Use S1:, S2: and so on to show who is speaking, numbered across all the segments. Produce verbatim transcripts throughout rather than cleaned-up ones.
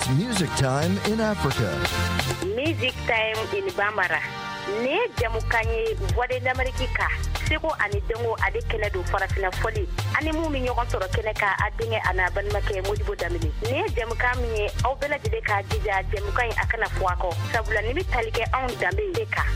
S1: It's music time in Africa.
S2: Music time in Bambara. Ne jamukan ye Voix de l'Amérique kan seko ani dɔnko ale kɛnɛ don farafinna fɔli ani mun bɛ ɲɔgɔn sɔrɔ kɛnɛ kan a denkɛ a n'a balimakɛ Modibo Danbele nin ye jamukan min ye aw bɛɛ lajɛlen k'a jija jamukan in a kana fɔ a kɔ sabula nin bɛ tali kɛ anw danbe de kan.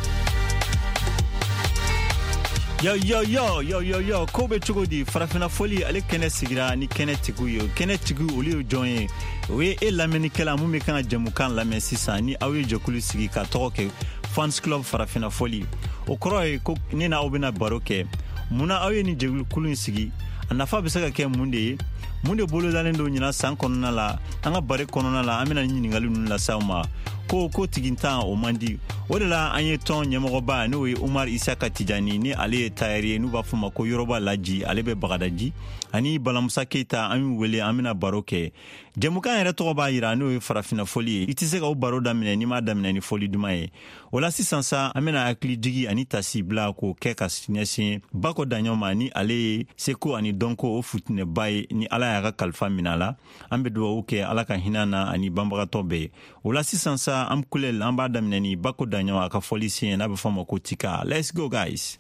S3: Yo yo yo yo yo yo ko bɛ cogo di farafinna fɔli ale kɛnɛ sigira ni kɛnɛ tigiw ye kɛnɛ tigiw olu ye jɔn ye o ye e lamɛnnikɛla mun bɛ kan ka jamukan lamɛn sisan ni aw ye jɛkulu sigi ka tɔgɔ kɛ Fans Club farafinna fɔli o kɔrɔ ye ko ne n'aw bɛna baro kɛ munna aw ye nin jɛkulu in sigi a nafa bɛ se ka kɛ mun de ye mun de bolodalen don ɲinan san kɔnɔna la an ka baro kɔnɔna la an bɛna ɲininkali ninnu lase aw ma ko ko tigintan o man di o de la an ye tɔn ɲɛmɔgɔba n'o ye Umar Isaka Tijani ni ale ye tayɛri ye n'u b'a fɔ ma ko Yɔrɔba Laji ale bɛ Bagadaji ani Balamusa Keyita an y'u wele an bɛna baro kɛ jɛmukan yɛrɛ tɔgɔ b'a yira n'o ye farafinna fɔli ye i tɛ se ka o baro daminɛ n'i m'a daminɛ ni fɔli duman ye o la sisan sa an bɛna hakili jigi ani tasi bila k'o kɛ ka ɲɛsin Bako Daɲɔ ma ni ale ye seko ani dɔnko o futinɛba ye ni Ala y'a ka kalifa minɛ a la an bɛ dugawu kɛ Ala ka hinɛ na ani banbagatɔ bɛɛ o la sisan sa an kulɛl an b'a daminɛ ni Bako Daɲɔ a ka fɔli sen n'a bɛ fɔ a ma ko Tika. Let's go guys.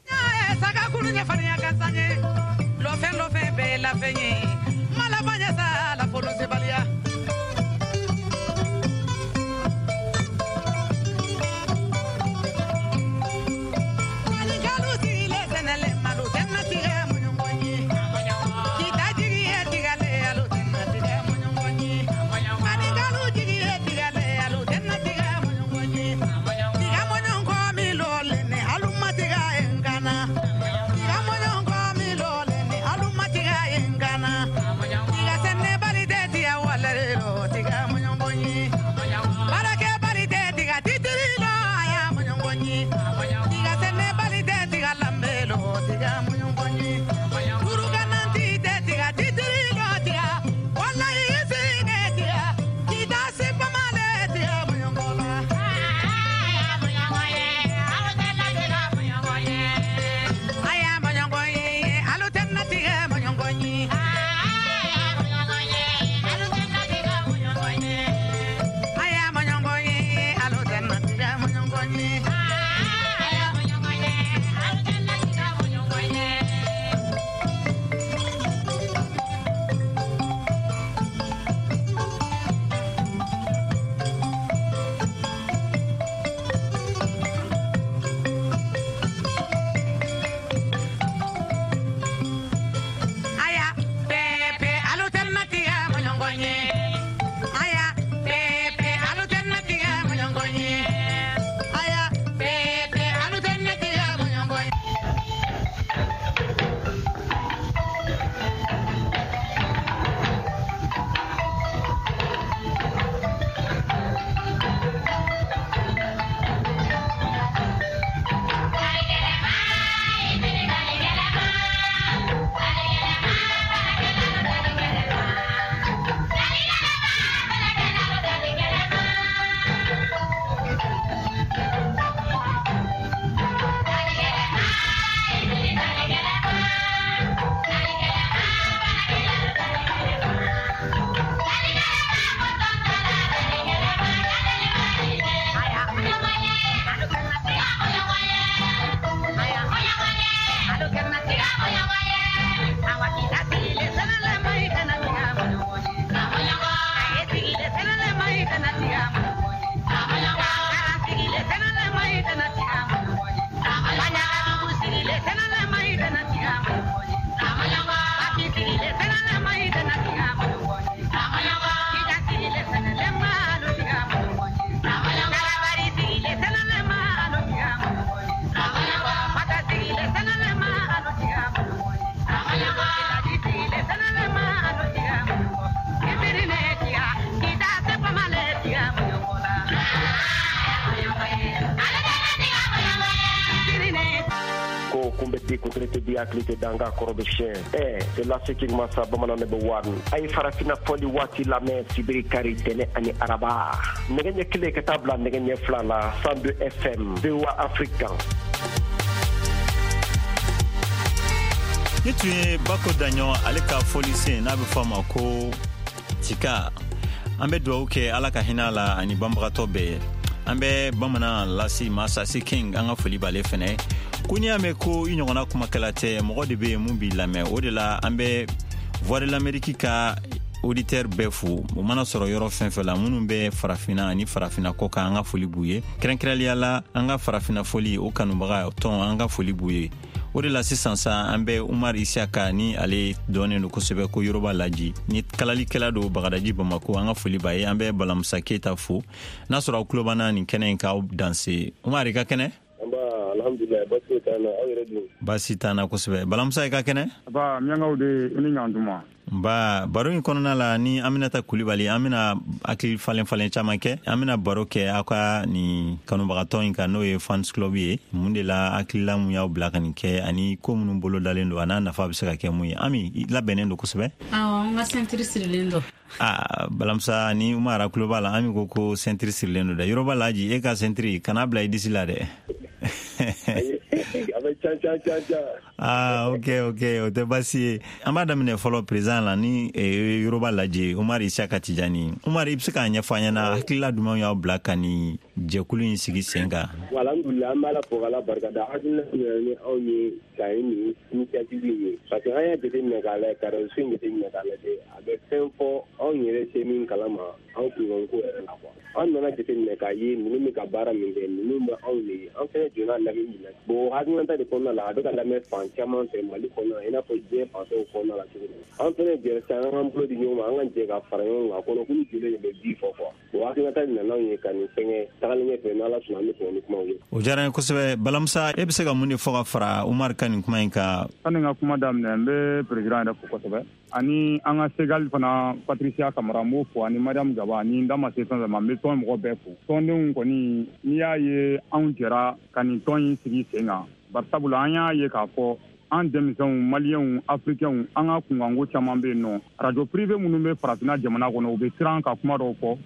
S4: Hakili danga kɔrɔ bɛ siɲɛ ɛ c'est la sécurité masa bamanan ne bɛ wari a ye farafinna fɔli waati lamɛn sibiri kari tɛnɛ ani araba nɛgɛ ɲɛ kelen ka taa bila nɛgɛ ɲɛ fila la cent deux F M V O A Afrique kan.
S3: Ni tun ye Bako Daɲɔ ale ka fɔli sen n'a bɛ fɔ a ma ko Tika. An bɛ dugawu kɛ Ala ka hinɛ la ani banbagatɔ bɛɛ ye. An bɛ bamanan lasi Masasi King, an ka foli b'ale fɛnɛ. Ko n'i y'a mɛn ko i ɲɔgɔnna kumakɛla tɛ, mɔgɔ de bɛ yen mun b'i lamɛn. O de la an bɛ Voix de l'Amérique ka auditeur bɛɛ fo, o mana sɔrɔ yɔrɔ fɛn fɛn la, minnu bɛ farafinna ani farafinna kɔ kan, an ka foli b'u ye. Kɛrɛnkɛrɛnliya la, an ka farafinna foli o kanubaga tɔn, an ka foli b'u ye. O de la sisan sa, an bɛ Umar Isiyaka, ni ale dɔnnen don kosɛbɛ ko Yoroba Laji, ni kalalikɛla don Bagadaji Bamako, an ka foli b'a ye. An bɛ Balamusa Keyita fo. N'a sɔrɔ aw tulo b'an na nin kɛnɛ in, k'aw danse. Umar, i ka kɛnɛ? Baasi t'an na kosɛbɛ. Balamusa, i ka kɛnɛ?
S5: Ba, miyankaw de, i ni ɲantuma.
S3: Ba, baro in kɔnɔna la, ni Aminata Kulibali, an bɛna hakili falen falen caman kɛ. An bɛna baro kɛ aw ka nin kanubagatɔ in kan, n'o ye fans club ye. Mun de la hakilila mun y'aw bila ka nin kɛ, ani ko minnu bolo dalen don, a n'a nafa bɛ se ka kɛ mun ye? Ami, i labɛnnen don kosɛbɛ.
S6: Awɔ, n ka ceinture sirilen don.
S3: Aa, Balamusa ni Umar tulo b'a la, Ami ko ko ceinture sirilen don dɛ. Yɔrɔba Laji, e ka ceinture kana bila i disi la dɛ. Ah, ok ok, o tɛ baasi ye. An b'a daminɛ fɔlɔ président la, ni Yoroba Laji, Umar Isiyaka Tijani. Umar, i bɛ se k'a ɲɛfɔ an ɲɛna, hakilila jumɛn y'aw bila ka nin jɛkulu in sigi sen kan?
S7: Alhamdulilah, an b'a la fo k'Ala barika da. Hakilina min ni anw ye ka ye nin initiative in ye, parce que an y'a jateminɛ k'a lajɛ, ka réseau in jateminɛ k'a lajɛ, a bɛ fɛn fɔ anw yɛrɛ tɛ min kalama anw kunkanko yɛrɛ la quoi. An nana jateminɛ k'a ye ninnu bɛ ka baara min kɛ, ninnu bɛ anw de ye, an fɛnɛ donna lamɛnni la. Bon, hakilinata de kɔnɔna la, a bɛ ka lamɛn fan caman fɛ Mali kɔnɔna, i n'a fɔ diɲɛ fan tɔw kɔnɔna la cogo min. An fɛnɛ jɛra sisan, an k'an bolo di ɲɔgɔn ma, an ka jɛ ka fara ɲɔgɔn kan, kɔnɔkulu joli de bɛ bi fɔ quoi. O hakilinata de nana anw ye ka nin fɛngɛ tagalen ɲɛfɛ, n'Ala sɔnna an bɛ tɛmɛ ni kumaw ye.
S3: O diyara n ye kosɛbɛ. Balamusa, e bɛ se ka mun de fɔ ka fara Umar ka nin kuma in kan?
S5: Sani n ka kuma daminɛ, n bɛ président yɛrɛ fo kosɛbɛ, ani an ka Segal fana, Patricia Kamara, n b'o fo, ani Mariam Gaba, ani n da ma se fɛn fɛn ma, n bɛ tɔn mɔgɔ bɛɛ fo. Tɔndenw kɔni, n'i y'a ye anw jɛra ka nin tɔn in sigi sen kan, bari sabula an y'a ye k'a fɔ an denmisɛnw, maliyɛnw, africains, an ka kunkanko caman bɛ yen nɔ. Radio privé minnu bɛ farafinna jamana kɔnɔ, u bɛ siran ka kuma dɔw fɔ,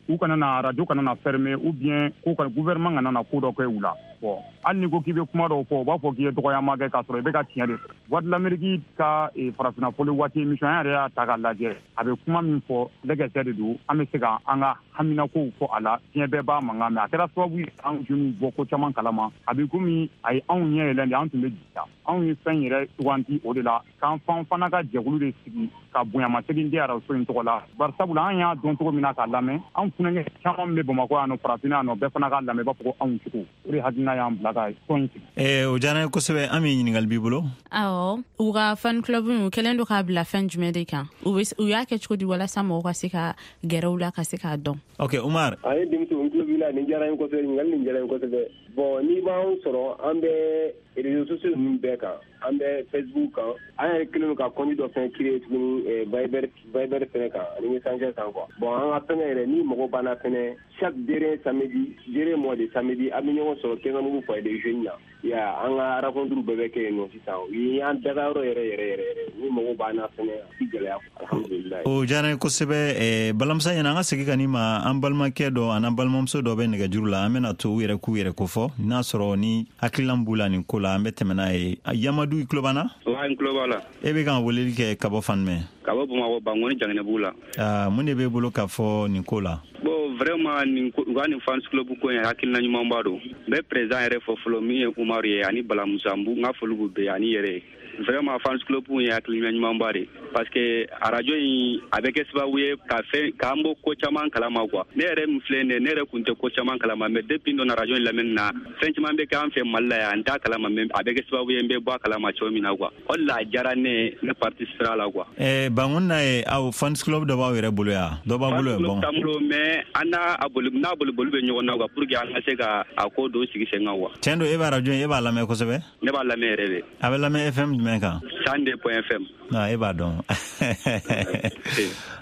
S5: u kana na radio kana na fermer, ou bien ko ka gouvernement kana na ko dɔ kɛ u la. Bon, hali ni ko k'i bɛ kuma dɔw fɔ, u b'a fɔ k'i ye dɔgɔyama kɛ, k'a sɔrɔ i bɛ ka tiɲɛ de fɔ. Voix de l'Amérique ka farafinna fɔli waati émission, an yɛrɛ y'a ta k'a lajɛ, a bɛ kuma min fɔ lɛgɛsɛ de don, an bɛ se ka an ka haminakow fɔ a la, diɲɛ bɛɛ b'a mankan mɛn. A kɛra sababu ye an jeunes bɔ ko caman kalama, a bɛ komi a ye anw ɲɛ yɛlɛn de, an tun bɛ ja, anw ye fɛn yɛrɛ suganti o de la, k'an fan fana ka jɛkulu de sigi ka bonyamasegin di arajo in tɔgɔ la. Bari sabula an y'a dɔn cogo min na k'a lamɛn, an funankɛ caman bɛ Bamakɔ yan nɔ, farafinna yan nɔ, bɛɛ fana k'a lamɛn, i b'a fɔ ko anw cogo. O de hakilina y'an bila ka tɔn in sigi.
S3: Eh, o diyara n ye kosɛbɛ. An bɛ ɲininkali b'i bolo?
S6: Awɔ, u ka fan club u kɛlen don k'a bila fɛn jumɛn de kan? U bɛ u y'a kɛ cogo di walasa mɔgɔw ka se ka gɛrɛ u la, ka se k'a dɔn?
S3: Ok, Umar.
S7: A ye denmuso, n tulo b'i la. Nin diyara n ye kosɛbɛ, ɲininkali nin diyara n ye kosɛbɛ. Bon, n'i b'anw sɔrɔ, an bɛ réseaux sociaux ninnu bɛɛ kan, an bɛ Facebook kan, an yɛrɛ kɛlen don ka compte dɔ fɛnɛ créer tuguni, Viber Viber fɛnɛ kan, ani Messenger kan quoi. Bon, an ka fɛngɛ yɛrɛ, ni mɔgɔ banna fɛnɛ, chaque dernier samedi, dernier mois de samedi, an bɛ ɲɔgɔn sɔrɔ Kɛnɛmugu foyer des jeunes na. Ya, an ka rencontre bɛɛ bɛ kɛ yen nɔ sisan. O ye an dagayɔrɔ yɛrɛ yɛrɛ yɛrɛ yɛrɛ. Ni mɔgɔw b'an na fɛnɛ, a ti gɛlɛya, alhamdulilayi.
S3: O diyara n ye kosɛbɛ. Balamusa, ɲɛna an ka segin ka nin ma, an balimakɛ dɔ an'an balimamuso dɔ bɛ nɛgɛjuru la, an bɛna to u yɛrɛ k'u yɛrɛ kofɔ, n'a sɔrɔ ni hakilina b'u la nin ko la, an bɛ tɛmɛ n'a ye. Yamadu, i tulo b'an na?
S8: Wa, n tulo b'a la.
S3: E bɛ ka weleli kɛ ka bɔ fan jumɛn?
S8: Ka bɔ Bamakɔ, Bankoni Janginɛbugu la.
S3: Aa, mun de b'e bolo k'a fɔ nin ko la?
S8: Bon, vraiment, nin u ka nin fans club ko in, hakilina ɲumanba don. N bɛ président yɛrɛ fɔ fɔlɔ, min ye Umaru ye, ani Balamusa, n ka foli b'u bɛɛ ani yɛrɛ ye. Vraiment, fans club ye hakilina ɲumanba de, parce que arajo in a bɛ kɛ sababu ye ka fɛn k'an bɔ ko caman kalama quoi. Ne yɛrɛ min filɛ nin ye, ne yɛrɛ kun tɛ ko caman kalama, mais depuis n donna arajo in lamɛnni na, fɛn caman bɛ kɛ an fɛ Mali la yan, n t'a kalama, mais a bɛ kɛ sababu ye n bɛ bɔ a kalama cogo min na quoi. O de la a diyara ne ye, ne participera la quoi.
S3: Eh, Bankoni na ye, aw fans club dɔ b'aw yɛrɛ bolo yan? Dɔ b'aw bolo yan?
S8: Bon, t'an bolo, mais an n'a a boli n'a boliboli bɛ ɲɔgɔn na quoi, pour que an ka se ka a ko dɔw sigi sen kan quoi.
S3: Tiɲɛ don, e b'a arajo in, e b'a lamɛn kosɛbɛ?
S8: Ne b'a lamɛn yɛrɛ de.
S3: A bɛ lamɛn F M jumɛn kan?
S8: cent deux point F M.
S3: Ah, e b'a dɔn.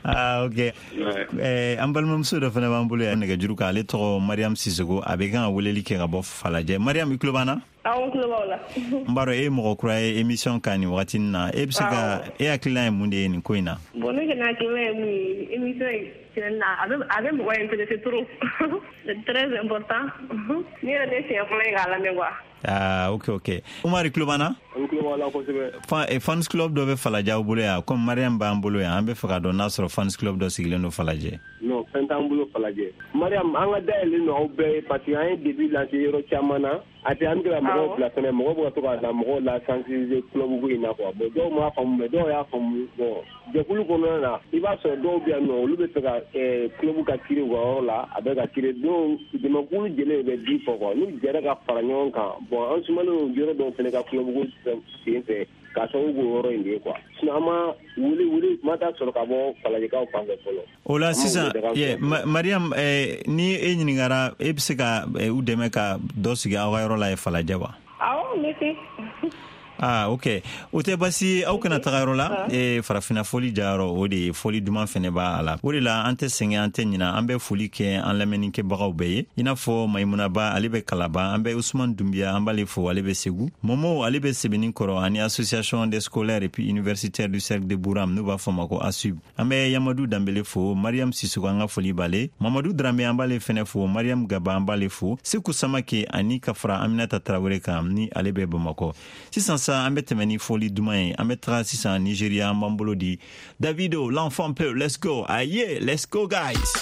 S3: Ah, ok. Eh, an balimamuso dɔ fana b'an bolo yan nɛgɛjuru kan, ale tɔgɔ Mariam Sisoko, a bɛ kan ka weleli kɛ ka bɔ Falajɛ. Mariam, i tulo b'an na?
S9: Awɔ, n tulo b'aw la.
S3: N b'a dɔn e ye mɔgɔ kura ye émission kan nin wagati in na. E bɛ se ka e hakilina ye mun de ye nin ko in na?
S9: Bon, ne kɔni hakilina ye mun ye émission in tiɲɛ na, a bɛ a bɛ mɔgɔ intéressé trop. C'est très important. Ne yɛrɛ ne siɲɛ fɔlɔ ye k'a lamɛn quoi.
S3: Ah, ok, ok. Umar, i tulo b'an na?
S7: N tulo b'aw la kosɛbɛ.
S3: Fan, eh, fans club dɔ bɛ Falajɛ aw bolo yan, komi Mariam b'an bolo yan, an bɛ fɛ k'a dɔn n'a sɔrɔ fans club dɔ sigilen don Falajɛ.
S7: Non, Sinon fɛn t'an bolo Falajɛ. Mariam, an ka dayɛlɛlen don aw bɛɛ ye parce que an ye début lancé yɔrɔ caman na. A tɛ an bɛ ka mɔgɔw bila fɛnɛ, mɔgɔw bɛ ka to ka na mɔgɔw la sensibiliser club ko in na quoi. Bon, dɔw m'a faamu mais dɔw y'a faamu. Bon, jɛkulu kɔnɔna na, i b'a sɔrɔ dɔw bɛ yan nɔ, olu bɛ fɛ ka club ka créer u ka yɔrɔ la, a bɛ ka créer. Donc jamakulu jɛlen bɛ bi fɔ quoi, n'u jɛra ka fara ɲɔgɔn kan. Bon, an sumalen yɔrɔ dɔw fɛnɛ ka club ko sen fɛ k'a sababu k'o yɔrɔ in de ye quoi. Sinon an ma wele wele ma taa sɔrɔ ka bɔ Falajɛkaw fan fɛ fɔlɔ.
S3: O la sisan, Mariam, ni e ɲininkara, e bɛ se ka u dɛmɛ ka dɔ sigi aw ka yɔrɔ la ye Falajɛ wa?
S9: Awɔ, n bɛ se.
S3: Ah, ok. O tɛ basi ye, aw kana taga yɔrɔ la. eh, farafinna foli jayɔrɔ, o de ye foli duman fɛnɛ b'a la. O de la an tɛ sɛgɛn, an tɛ ɲina, an bɛ foli kɛ an lamɛnnikɛbagaw bɛɛ ye. I n'a fɔ Mayimunaba, ale bɛ Kalaba, an bɛ Usman Dunbiya, an b'ale fo, ale bɛ Segu. Momo, ale bɛ Sebeni kɔrɔ, ani Association des scolaires et puis universitaires du Cercle de Bouram, n'u b'a fɔ ma ko A S U B. An bɛ Yamadu Danbele fo, Mariam Sissoko, an ka foli b'ale. Mamadu Dramé, an b'ale fɛnɛ fo, Mariam Gaba, an b'ale fo. Seku Samake ani ka fara Aminata Traoré kan, ni ale bɛ Bamakɔ. Sisan sa, an bɛ tɛmɛ ni foli duman ye. An bɛ taga sisan Nigeria, an b'an bolo di Davido, l'enfant peu. Let's go, aye, let's go guys.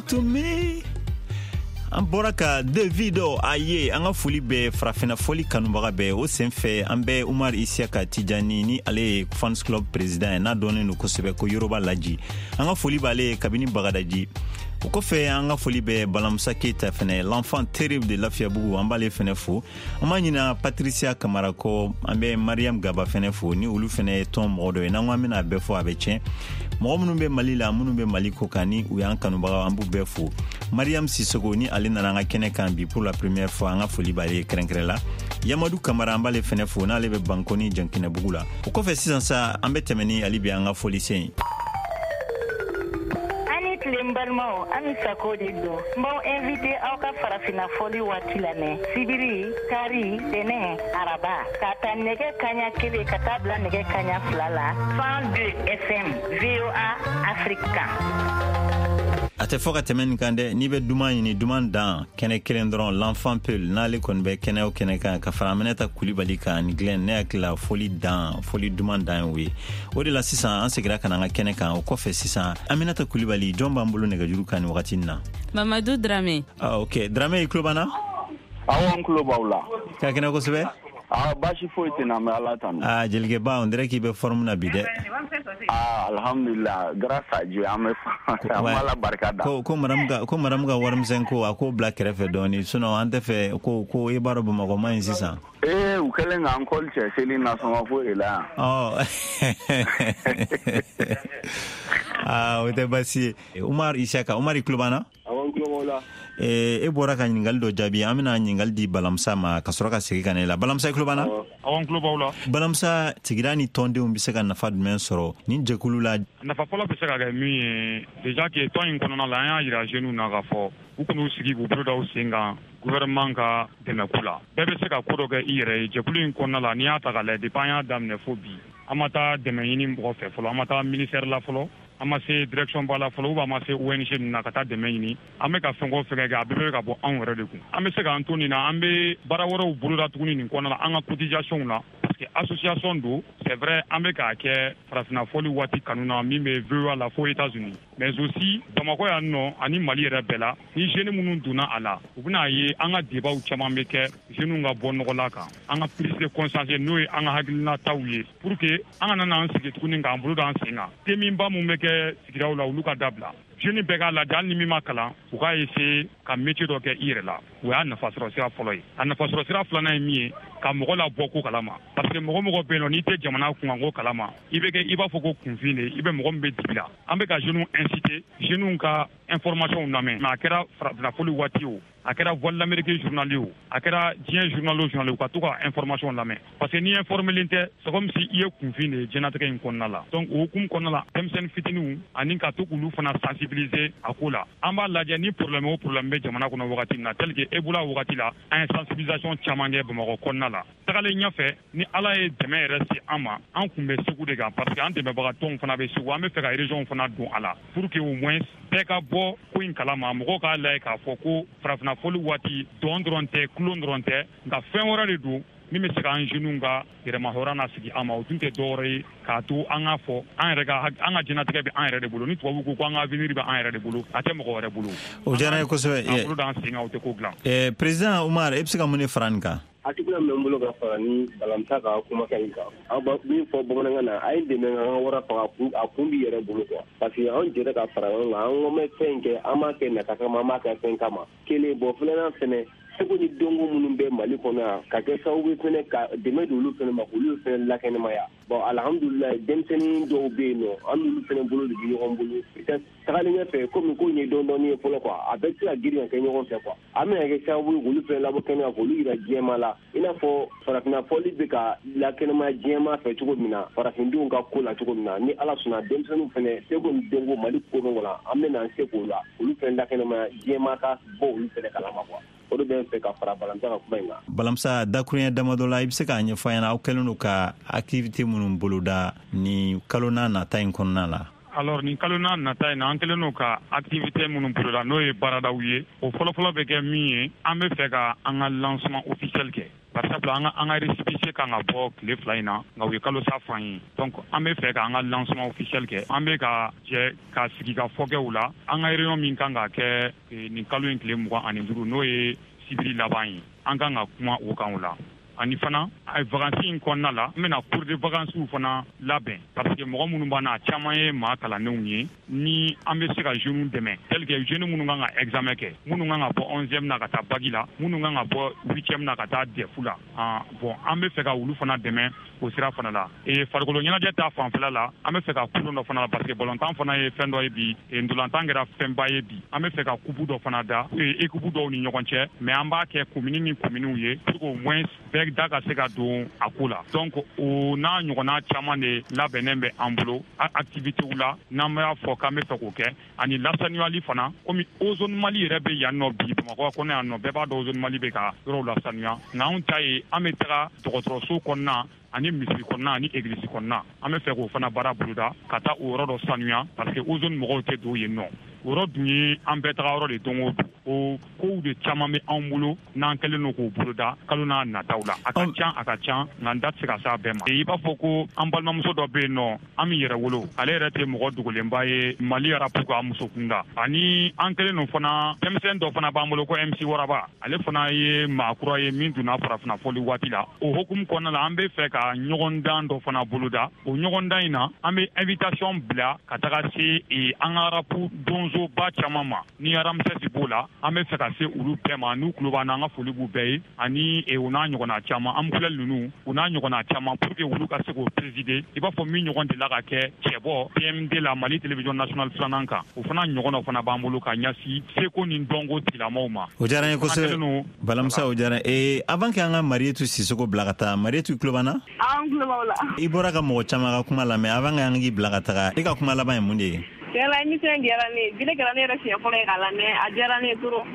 S3: To me. An bɔra ka Davido a ye. An ka foli bɛ farafinna foli kanubaga bɛɛ. O senfɛ an bɛ Umar Isiaka Tijani, ni ale ye fans club président ye, n'a dɔnnen don kosɛbɛ ko Yoroba Laji. An ka foli b'ale ye kabini Bagadaji. O kɔfɛ an ka foli bɛ Balamusa Keyita fɛnɛ, l'enfant terrible de Lafiyabugu, an b'ale fɛnɛ fo. An b'a ɲina Patricia Kamara kɔ, an bɛ Mariam Gaba fɛnɛ fo, ni olu fɛnɛ ye tɔn mɔgɔ dɔ ye. N'an ko an bɛna a bɛɛ fɔ, a bɛ tiɲɛ. Mɔgɔ minnu bɛ Mali la, minnu bɛ Mali kɔ kan, ni u y'an kanubagaw, an b'u bɛɛ fo. Mariam Sisoko, ni ale nana an ka kɛnɛ kan bi pour la première fois, an ka foli b'ale ye kɛrɛnkɛrɛn la. Yamadu Kamara, an b'ale fɛnɛ fo, n'ale bɛ Bankoni Jankinɛbugu la. O kɔfɛ sisan sa, an bɛ tɛmɛ ni hali bi an ka folisen ye.
S10: N balimaw, an bɛ Sako de don. N b'aw invité aw ka farafinna fɔli waati lamɛn sibiri, kari, tɛnɛ, araba, ka ta nɛgɛ kaɲa kelen ka taa bila nɛgɛ kaɲa fila la, cent deux F M V O A Afrique kan.
S3: A tɛ fɔ ka tɛmɛ nin kan dɛ. N'i bɛ duman ɲini, duman dan kɛnɛ kelen dɔrɔn, l'enfant peul, n'ale kɔni bɛ kɛnɛ o kɛnɛ kan, ka fara Aminata Kulibali kan ni Glenn, ne hakili la foli dan, foli duman dan ye o ye. O de la sisan an seginna ka na an ka kɛnɛ kan. O kɔfɛ sisan, Aminata Kulibali, jɔn b'an bolo nɛgɛjuru kan nin wagati in na?
S6: Mamadu Dramé.
S3: Ah, ok, Dramé, i tulo b'an na?
S11: Awɔ, n tulo b'aw la.
S3: Ka kɛnɛ kosɛbɛ.
S11: Ah, baasi foyi tɛ n na, n bɛ Ala tanu.
S3: Ah, jelikɛba, on dirait k'i bɛ forme na bi dɛ.
S11: Ah, alhamdulillah, grâce à Dieu, an bɛ an bɛ Ala barika da.
S3: Ko ko madame ka ko madame ka warimisɛn ko a k'o bila kɛrɛfɛ dɔɔni, sinon an tɛ fɛ ko ko e b'a dɔn Bamakɔ man ɲi sisan.
S11: Ee, u kɛlen k'an kɔli cɛ seli nasɔngɔ foyi de la yan.
S3: Ɔ. Ah, o tɛ baasi ye. Umar Isaka, Umar, i tulo b'an na?
S7: Awɔ, n tulo b'aw la.
S3: E bɔra ka ɲininkali dɔ jaabi, an bɛna ɲininkali di Balamusa ma ka sɔrɔ ka segin ka na e la. Balamusa, i tulo b'an na?
S5: Awɔ, n tulo b'aw la.
S3: Balamusa, sigida ni tɔndenw bɛ se ka nafa jumɛn sɔrɔ nin jɛkulu la?
S5: Nafa fɔlɔ bɛ se ka kɛ min ye, déjà que tɔn in kɔnɔna la, an y'a yira jeunes na k'a fɔ u kan'u sigi k'u bolo da u sen kan gouvernement ka dɛmɛko la. Bɛɛ bɛ se ka ko dɔ kɛ i yɛrɛ ye jɛkulu in kɔnɔna la. N'i y'a ta k'a lajɛ, depuis an y'a daminɛ fo bi, an ma taa dɛmɛ ɲini mɔgɔ fɛ fɔlɔ, an ma taa ministère la fɔlɔ, an ma se direction ba la fɔlɔ, ou an ma se O N G ninnu na ka taa dɛmɛ ɲini. An bɛ ka fɛn o fɛn kɛ, a bɛɛ bɛ ka bɔ anw yɛrɛ de kun. An bɛ se k'an to nin na, an bɛ baara wɛrɛw boloda tuguni nin kɔnɔna la, an ka cotisation na, parce que association don, c'est vrai, an bɛ k'a kɛ farafinna fɔli waati kanu na min bɛ V O A la fo États-Unis, mais aussi Bamakɔ yan nɔ ani Mali yɛrɛ bɛɛ la, ni jeunes minnu donna a la, u bɛna ye an ka débatw caman bɛ kɛ jeunes ka bɔ nɔgɔ la kan, an ka prise de conscience, n'o ye an ka hakilinataw ye, pour que an kana n'an sigi tuguni k'an bolo d'an sen kan. Teminba mun bɛ kɛ sigidaw la, olu ka dabila. Jeune bɛɛ k'a lajɛ, hali ni min ma kalan, u k'a essayer ka métier dɔ kɛ i yɛrɛ la. O y'a nafasɔrɔ sira fɔlɔ ye. A nafasɔrɔ sira filanan ye min ye, ka mɔgɔ labɔ ko kalama, parce que mɔgɔ mɔgɔ bɛ yen nɔ, n'i tɛ jamana kunkanko kalama, i bɛ kɛ i b'a fɔ ko kunfin de, i bɛ mɔgɔ min bɛ dibi la. An bɛ ka jeunes inciter, jeunes ka information lamɛn, mais a kɛra farafinnafoli waati o, a kɛra Voix de l'Amérique journal ye o, a kɛra diɲɛ journal o journal ye, u ka to ka information lamɛn, parce que n'i informelen tɛ, c'est comme si i ye kunfin de ye diɲɛlatigɛ in kɔnɔna la. Donc o hukumu kɔnɔna la, denmisɛnnin fitininw ani ka to k'olu fana sensibiliser a ko la. An b'a lajɛ ni problème o problème bɛ jamana kɔnɔ wagati min na, tel que Ebola wagati la, an ye sensibilisation caman kɛ Bamakɔ kɔnɔna la. Tagalen ɲɛfɛ, ni Ala ye dɛmɛ yɛrɛ se an ma, an kun bɛ Segu de kan, parce que an dɛmɛbaga tɔnw fana bɛ Segu, an bɛ fɛ ka région fana don a la, pour que au moins bɛɛ ka bɔ ko in kalama, mɔgɔw k'a lajɛ k'a fɔ ko farafinna fɔli waati dɔn dɔrɔn tɛ, kulon dɔrɔn tɛ, nka fɛn wɛrɛ de don min bɛ se k'an jeunes ka yɛrɛmahɔrɔnya lasigi an ma. O tun tɛ dɔwɛrɛ ye k'a to an k'a fɔ an yɛrɛ ka an ka diɲɛlatigɛ bɛ an yɛrɛ de bolo. Ni tubabu ko ko an ka avenir bɛ an yɛrɛ de bolo, a tɛ mɔgɔ wɛrɛ bolo.
S3: O diyara n ye kosɛbɛ.
S5: An bolo d'an sen kan, o tɛ ko dilan.
S3: Président Umar, e bɛ se ka mun de fara nin kan?
S7: Hakilina min bɛ n bolo ka fara ni Balamusa ka kumakan in kan, aw b'a min fɔ bamanankan na, a ye dɛmɛ an ka wara faga, a kun b'i yɛrɛ bolo quoi, parce que anw jɛra ka fara ɲɔgɔn kan, an ko bɛ fɛn in kɛ, an m'a kɛ nata kama, an m'a kɛ fɛn kama. Kelen bɔn, filanan fɛnɛ, seko ni dɔnko minnu bɛ Mali kɔnɔ yan, ka kɛ sababu ye fɛnɛ ka dɛmɛ don olu fɛnɛ ma, k'olu fɛnɛ lakɛnɛmaya. Bon, alhamdulilayi, denmisɛnnin dɔw bɛ yen nɔ, an n'olu fɛnɛ bolo de bɛ ɲɔgɔn bolo. Tagalen ɲɛfɛ, komi ko in ye dɔɔnin dɔɔnin ye fɔlɔ quoi, a bɛɛ tɛ se ka girin ka kɛ ɲɔgɔn fɛ quoi. An bɛna kɛ sababu ye k'olu fɛnɛ labɔ kɛnɛ kan, k'olu yira diɲɛma la, i n'a fɔ farafinna fɔli bɛ ka lakɛnɛmaya diɲɛma fɛ cogo min na, farafindenw ka ko la cogo min na, ni Ala sɔnna, denmisɛnninw fɛnɛ seko ni dɔnko Mali ko kɔnɔ, an bɛna an se k'o la, olu fɛnɛ lakɛnɛmaya diɲɛma ka bɔ olu fɛnɛ kalama quoi. O de bɛ n fɛ ka fara Balamusa ka kuma in kan.
S3: Balamusa, dakuruɲɛ damadɔ la, i bɛ se k'a ɲɛfɔ an ɲɛna aw kɛlen don ka activité minnu boloda nin kalo n'a nata in kɔnɔna la?
S5: Alors, nin kalo n'a nata in na, an kɛlen don ka activité minnu boloda, n'o ye baaradaw ye, o fɔlɔfɔlɔ bɛ kɛ min ye, an bɛ fɛ ka an ka lancement officiel kɛ. Par exemple, an ka an ka récépissé kan ka bɔ tile fila in na, nka u ye kalo sa fɔ an ye. Donc an bɛ fɛ ka an ka lancement officiel kɛ. An bɛ ka jɛ ka sigi ka fɔ kɛ o la. An ka réunion min kan ka kɛ nin kalo in tile mugan ani duuru, n'o ye sibiri laban ye, an kan ka kuma o kan o la. Ani fana a vacances in kɔnɔna la, an bɛna cours de vacances fana labɛn parce que mɔgɔ minnu b'an na, a caman ye maa kalannenw ye, ni an bɛ se ka jeunes dɛmɛ, tel que jeunes minnu kan ka examen kɛ, minnu kan ka bɔ onzième na ka taa bac la, minnu kan ka bɔ huitième na ka taa D E F la. Ah, bon, an bɛ fɛ ka olu fana dɛmɛ o sira fana la. E farikolo ɲɛnajɛ ta fanfɛla la, an bɛ fɛ ka kulon dɔ fana la parce que ballontan fana ye fɛn dɔ ye bi, ntolantan kɛra fɛnba ye bi. An bɛ fɛ ka coupe dɔ fana da équipe dɔw ni ɲɔgɔn cɛ, mais an b'a kɛ commune ni communew ye pour que au moins bɛɛ da ka se ka don a ko la. Donc o n'a ɲɔgɔnna caman de labɛnnen bɛ an bolo activités la, n'an b'a fɔ k'an bɛ fɛ k'o kɛ. Ani lasaniyali fana, komi Ozone Mali yɛrɛ bɛ yan nɔ bi, Bamakɔ kɔnɔ yan nɔ, bɛɛ b'a dɔn Ozone Mali bɛ ka yɔrɔw lasaniya. Nka anw ta ye, an bɛ taga dɔgɔtɔrɔso kɔnɔna ani misiri kɔnɔna ani egilisi kɔnɔna, an bɛ fɛ k'o fana baara boloda ka taa o yɔrɔ dɔ sanuya parce que Ozone mɔgɔw tɛ don yen nɔ. O yɔrɔ dun ye an bɛɛ taga yɔrɔ de don o don. O kow de caman bɛ anw bolo n'an kɛlen don k'o boloda kalo n'a nataw la. A ka ca, a ka ca, nka n da tɛ se ka s'a bɛɛ ma. I b'a fɔ ko an balimamuso dɔ bɛ yen nɔ, an bɛ yɛrɛ wolo, ale yɛrɛ tɛ mɔgɔ dogolenba ye Mali rap ka muso kunda. Ani an kɛlen don fana, denmisɛnnin dɔ fana b'an bolo ko M C Waraba, ale fana ye maa kura ye min donna farafinna fɔli waati la. O hokumu kɔnɔna la, an bɛ fɛ ka ɲɔgɔndan dɔ fana boloda. O ɲɔgɔndan in na, an bɛ invitation bila ka taga se an ka rap donsoba caman ma, ni Ramsès b'o la, an bɛ fɛ ka se olu bɛɛ ma. N'u tulo b'an na, an ka foli b'u bɛɛ ye, ani o n'a ɲɔgɔnna caman, Amukilɛli ninnu, o n'a ɲɔgɔnna caman, pour que olu ka se k'o présider. I b'a fɔ min ɲɔgɔn delila ka kɛ Cɛbɔ P M D la, Mali Télévision Nationale filanan kan, o fana ɲɔgɔn dɔ fana b'an bolo ka ɲɛsin seko ni dɔnko tigilamɔgɔw ma.
S3: O diyara n ye kosɛbɛ, Balamusa, o diyara n ye. Avant que an ka Marietu Sisoko bila ka taa, Marietu, tulo b'an na?
S9: An tulo b'aw la.
S3: I bɔra ka mɔgɔ caman ka kuma lamɛn. Avant que an k'i bila ka taga, e ka kuma laban ye mun de ye?
S9: Tiɲɛ la, émission in diyara ne ye. Bi de kɛra ne yɛrɛ siɲɛ fɔlɔ ye k'a lamɛn, a diyara ne ye trop.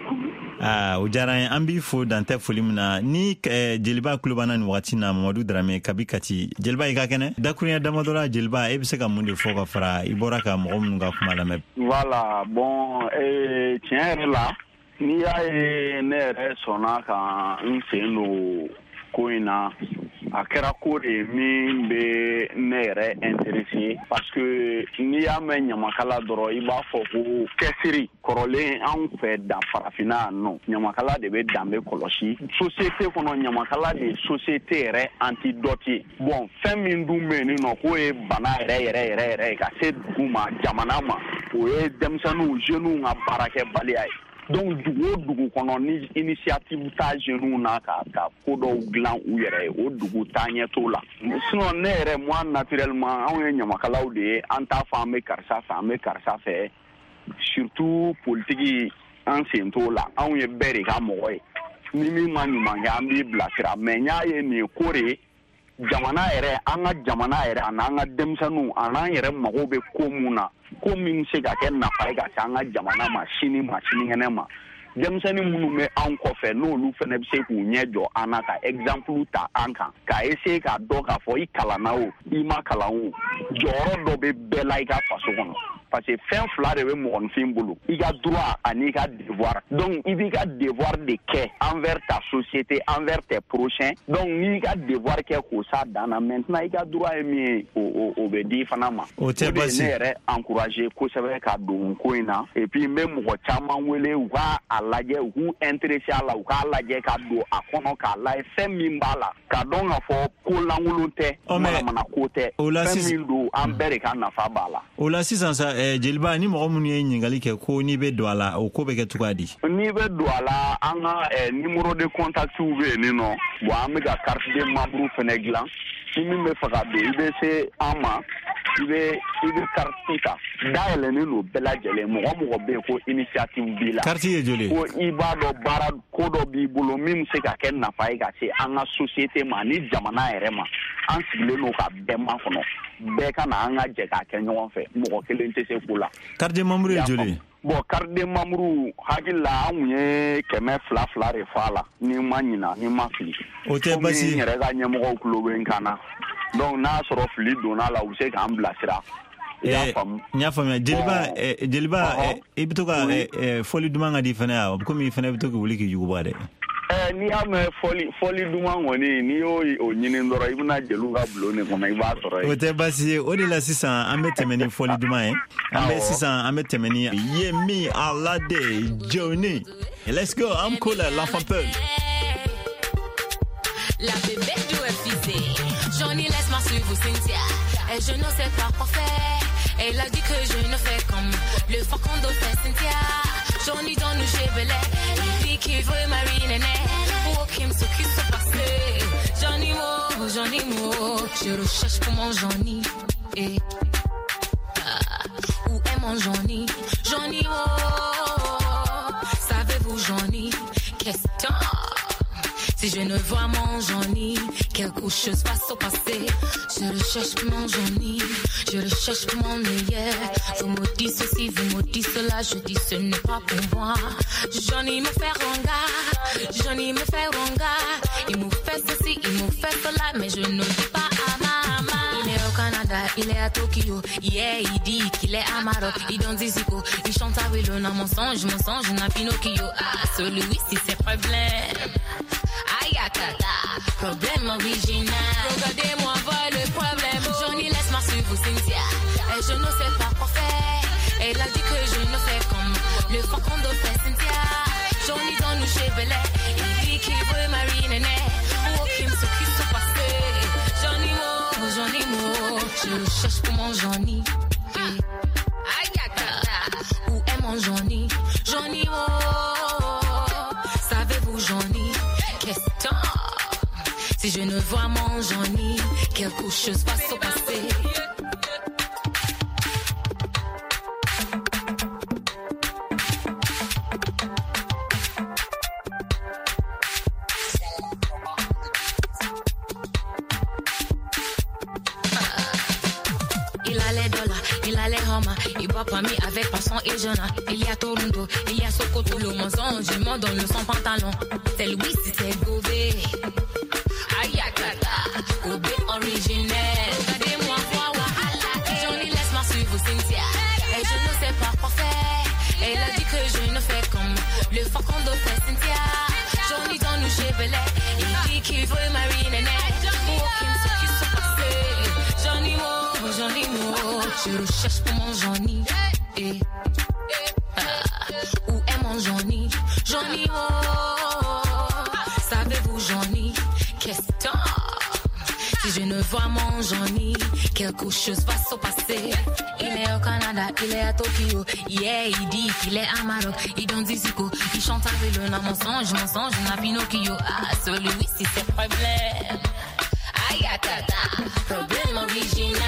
S3: Aa, o diyara n ye. An b'i fo dantɛ foli min na. Ni eh, jeliba tulo b'an na nin wagati na, Mamadu Darame kabi Kati. Jeliba, i ka kɛnɛ, dakurunya damadɔ la, jeliba, e bɛ se ka mun de fɔ ka fara i bɔra ka mɔgɔ minnu ka kuma lamɛn?
S11: Voilà, bon, eh, tiɲɛ yɛrɛ la, n'i y'a ye ne yɛrɛ sɔnna ka n sen don ko in na, a kɛra ko de ye min bɛ ne yɛrɛ intéressé, parce que n'i y'a mɛn ɲamakala dɔrɔn, i b'a fɔ ko cɛsiri kɔrɔlen. Anw fɛ dan farafinna yan nɔ, ɲamakala de bɛ danbe kɔlɔsi société kɔnɔ, ɲamakala de ye société yɛrɛ antidote ye. Bon, fɛn min dun bɛ yen nɔ k'o ye bana yɛrɛ yɛrɛ yɛrɛ yɛrɛ ye ka se dugu ma, jamana ma, o ye denmisɛnninw, jeunes ka baarakɛbaliya ye. Donc dugu o dugu kɔnɔ, ni initiative t'a jeunes na ka ka ko dɔw dilan u yɛrɛ ye, o dugu taa ɲɛ t'o la. Sinon ne yɛrɛ, moi naturellement, anw ye ɲamakalaw de ye, an t'a fɔ an bɛ karisa fɛ, an bɛ karisa fɛ, surtout politiki, an sen t'o la. Anw ye bɛɛ de ka mɔgɔ ye, ni min ma ɲuman kɛ, an b'i bilasira. Mais n y'a ye nin ye ko de ye jamana yɛrɛ, an ka jamana yɛrɛ, a n'an ka denmisɛnninw, a n'an yɛrɛ mago bɛ ko mun na, ko min bɛ se ka kɛ nafa ye ka se an ka jamana ma sini ma, sinikɛnɛ ma. Denmisɛnnin minnu bɛ anw kɔfɛ, n'olu fana bɛ se k'u ɲɛ jɔ an na, ka exemple ta an kan, ka essayer k'a dɔn k'a fɔ i kalanna o, i ma kalan o, jɔyɔrɔ dɔ bɛ bɛɛ la i ka faso kɔnɔ. Parce que fɛn fila de bɛ mɔgɔninfin bolo: i ka droit ani i ka devoir. Donc i b'i ka devoir de kɛ envers ta société, envers tes prochains. Donc n'i ka devoir kɛ k'o s'a dan na, maintenant i ka droit ye min ye, o o o bɛ di fana ma.
S3: O tɛ baasi.
S11: O de ye ne yɛrɛ encouragé kosɛbɛ ka don ko in na. Et puis n bɛ mɔgɔ caman wele u ka a lajɛ, u k'u intéressé a la, u k'a lajɛ ka don a kɔnɔ k'a lajɛ fɛn min b'a la, k'a dɔn k'a fɔ ko lankolon tɛ, manamana ko tɛ, fɛn min don, an bɛɛ de ka nafa b'a la.
S3: O la sisan sa, eh, jeliba, ni mɔgɔ minnu ye ɲininkali kɛ ko n'i bɛ don a la, o ko bɛ kɛ cogoya di?
S11: N'i bɛ don a la, an ka eh, numéro de contact bɛ yen nɔ. Bon, an bɛ ka carte de membre fɛnɛ dilan. Ni min bɛ fɛ ka don, i bɛ se an ma, i bɛ i bɛ carte ta. Dayɛlɛnnen don bɛɛ lajɛlen, mɔgɔ mɔgɔ bɛ yen ko initiative b'i la.
S3: Carte ye joli ye?
S11: Ko i b'a dɔn baara ko dɔ b'i bolo min bɛ se ka kɛ nafa ye ka se an ka société ma ani jamana yɛrɛ ma, an sigilen don ka bɛɛ makɔnɔ, bɛɛ ka na, an ka jɛ k'a kɛ ɲɔgɔn fɛ, mɔgɔ kelen tɛ se ko la.
S3: Carte de membre ye joli ye?
S11: Bon, carte de membre, hakili la, an kun ye kɛmɛ fila fila de fɔ a la, ni n ma ɲina, ni n ma fili.
S3: O tɛ baasi ye.
S11: Komi n yɛrɛ ka ɲɛmɔgɔw tulo bɛ n kan na, donc n'a sɔrɔ fili donna a la, u bɛ se k'an bilasira. I y'a faamu?
S3: N y'a faamuya, jeliba. eh, jeliba, eh, i bɛ to ka eh, eh, fɔli duman ka di fɛnɛ yan, komi i fɛnɛ bɛ to ka wuli k'i juguba dɛ.
S11: Ɛ, n'i y'a mɛn fɔli fɔli duman kɔni, n'i y'o o ɲini dɔrɔn, i bɛna jeliw ka bulon de kɔnɔ, i b'a sɔrɔ
S3: O
S11: yen.
S3: tɛ baasi ye. O de la sisan an bɛ tɛmɛ ni fɔli duman ye. An bɛ sisan, an bɛ tɛmɛ ni Yemi Alade, Johnny. Let's go, I'm Kola, l'enfant peul.
S12: La bébé du F I C. Johnny, laisse-moi suivre Cynthia. Et je ne sais pas quoi faire. Elle a dit que je ne fais comme le faucon de fait Cynthia. Johnny dans nous chébelé. Il dit qu'il veut marier Néné. Pour qu'il ce qui se passe. Johnny mo, Johnny mo. Je recherche pour mon Johnny. Eh. Ah, où est mon Johnny? Johnny mo. Savez-vous Johnny? Question. Si je ne vois mon Johnny, quelque chose va se passer. Je recherche mon Johnny, je recherche mon meilleur. Vous me dites ceci, vous me dites cela, je dis ce n'est pas pour moi. Johnny me fait ronga, Johnny me fait ronga. Il me fait ceci, il me fait cela, mais je ne dis pas à maman. Il est au Canada, il est à Tokyo, yeah, il dit qu'il est à Maroc. Il danse des zikos, il chante à Willona, mensonge, mensonge, n'a Pinocchio. Ah, celui-ci c'est problème. Ayakata, problème original. Regardez-moi, voir le problème. Johnny, laisse-moi suivre Cynthia. Et je ne sais pas quoi faire. Elle a dit que je ne fais comme le faucon de fait Cynthia. Johnny dans nous chébelé. Il dit qu'il veut marier Néné. Pour qu'il ce qui se passe. Johnny mo, Johnny mo. Je recherche pour mon Johnny. Ayakata, où est mon Johnny? Johnny mo. Savez-vous Johnny? Question. Si je ne vois mon Johnny, quelque chose va se passer. Il a les dollars, il a les hommes, il boit pas mis avec poisson et Jonah. Il y a Toronto, il y a Sokoto, le mensonge, il monte dans le son pantalon. C'est Louis, c'est Gobé. Ayakata, Gobé originel. Regardez-moi voir Wahala. Johnny, laisse-moi suivre Cynthia. Et je ne sais pas quoi faire. Elle a dit que je ne fais comme le faucon de fait Cynthia. Johnny dans nous chébelé. Il dit qu'il veut marier Néné. Pour qu'il ce qui se passe. Johnny mo, Johnny mo. Je recherche pour mon Johnny. Eh. Ah, où est mon Johnny? Johnny mo. Savez-vous Johnny? Question. Si je ne vois mon Johnny, quelque chose va se passer. Il est au Canada, il est à Tokyo. Yeah, il dit qu'il est à Maroc. Il danse des zikos, il chante avec le nom. Mensonge, mensonge, n'a Pinocchio. Ah, celui-ci c'est problème. Ayakata, problème original.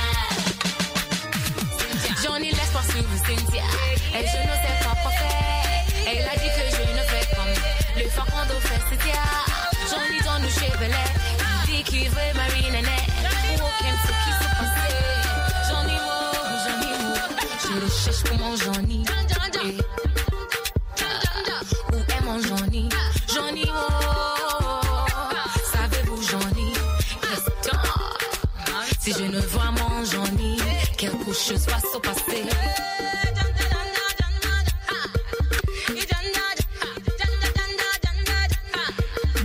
S12: Johnny laisse pas suivre Cynthia. Et je ne sais pas quoi faire. Elle a dit que je ne fais comme le faucon de fait Cynthia. Johnny dans nous chébelé. Il dit qu'il veut marier Néné. Pour aucun ce qui se passe. Johnny mo, Johnny mo. Je recherche pour mon Johnny. Eh. Où est mon Johnny? Johnny mo. Savez-vous Johnny? Question. Si je ne vois mon Johnny, quelque chose va se passer.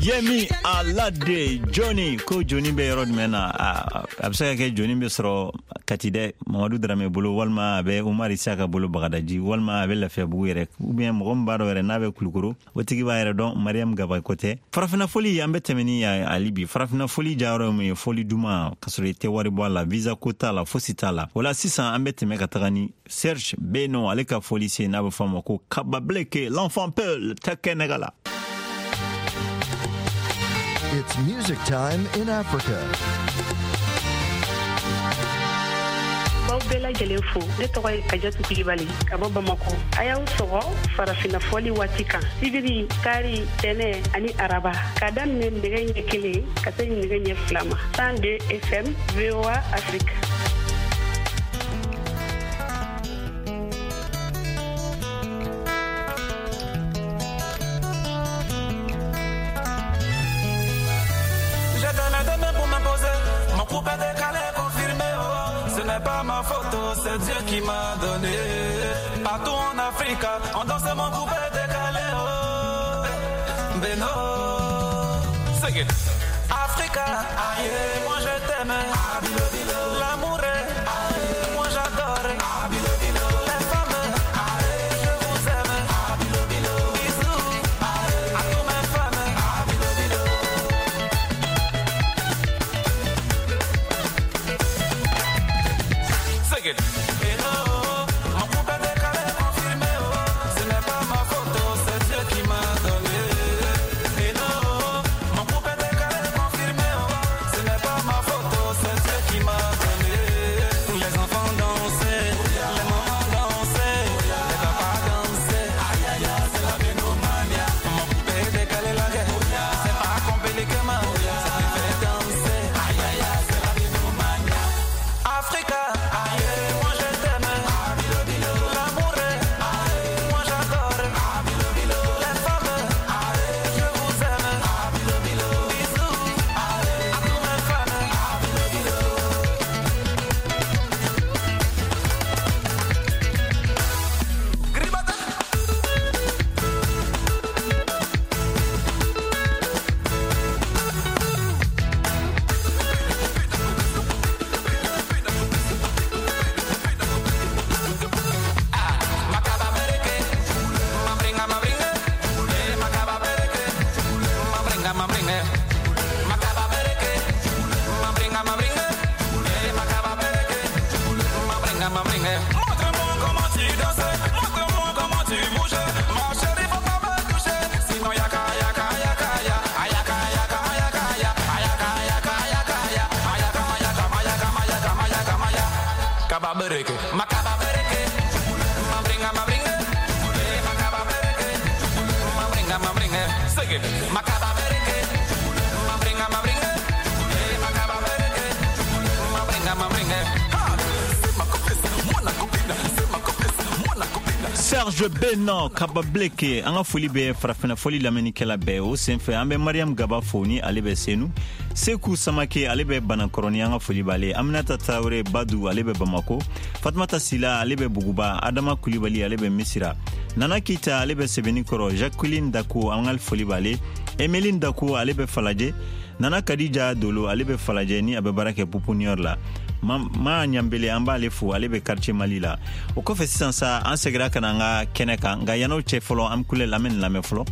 S3: Yemi Alade Johnny ko Johnny bɛ yɔrɔ jumɛn na? A bɛ se ka kɛ Johnny bɛ sɔrɔ Kati dɛ, Mamadu Dramé bolo, walima a bɛ Umar Isaka bolo Bagadaji, walima a bɛ Lafiyabugu yɛrɛ, ou bien mɔgɔ min b'a dɔn yɛrɛ n'a bɛ Kulukoro, o tigi b'a yɛrɛ dɔn. Mariam Gaba ko tɛ. Farafinna foli an bɛ tɛmɛ ni hali bi. Farafinna foli jayɔrɔ ye mun ye? Foli duman ka sɔrɔ i tɛ wari bɔ a la, visa ko t'a la, fosi t'a la. O la sisan an bɛ tɛmɛ ka taga ni Serge Beno, ale ka foli sen n'a bɛ fɔ a ma ko Kabableke, l'enfant peul, tɛ kɛ nɛgɛ la.
S1: It's music time in Africa.
S9: Baw bɛɛ lajɛlen fo. Ne tɔgɔ ye Kajatu Kulibali ka bɔ Bamakɔ. A y'aw sɔgɔ farafinna fɔli waati kan, sibiri, kari, tɛnɛ ani araba, k'a daminɛ nɛgɛ ɲɛ kelen ka se nɛgɛ ɲɛ fila ma. cent deux F M V O A Afrique.
S13: C'est Dieu qui m'a donné. Partout en Afrique, on danse mon coupé décalé. Oh, Beno. Sing it. Africa, aïe, moi je t'aime. L'amour, aïe, moi j'adore. Les femmes, aïe, je vous aime. Bisous, aïe, à tous mes femmes. Mabereke, makaba bereke, mabringa mabringa, makaba bereke, mabringa mabringa, sing it. Makaba bereke, mabringa mabringa, makaba bereke, mabringa mabringa.
S3: Serge Beno Kabableke an ka foli bɛ farafinna foli lamɛnnikɛla bɛɛ o senfɛ an bɛ Mariam Gaba fo ni ale bɛ Senu, Seku Samake ale bɛ Banakɔrɔni an ka foli b'ale, Aminata Traore Badu ale bɛ Bamako, Fatumata Sila ale bɛ Buguba, Adama Kulibali ale bɛ Misira, Nana Keita ale bɛ Sɛbɛnnikɔrɔ, Jacqueline Dako an ka foli b'ale, Emeline Dako ale bɛ Falajɛ, Nana Kadija Dolo ale bɛ Falajɛ ni a bɛ baara kɛ pouponnière la. Ma, ma ɲanbele an b'ale fo ale bɛ quartier Mali la. O kɔfɛ sisan sa an segira ka na an ka kɛnɛ kan, nka yan'o cɛ fɔlɔ an kule lamɛn nin lamɛn fɔlɔ.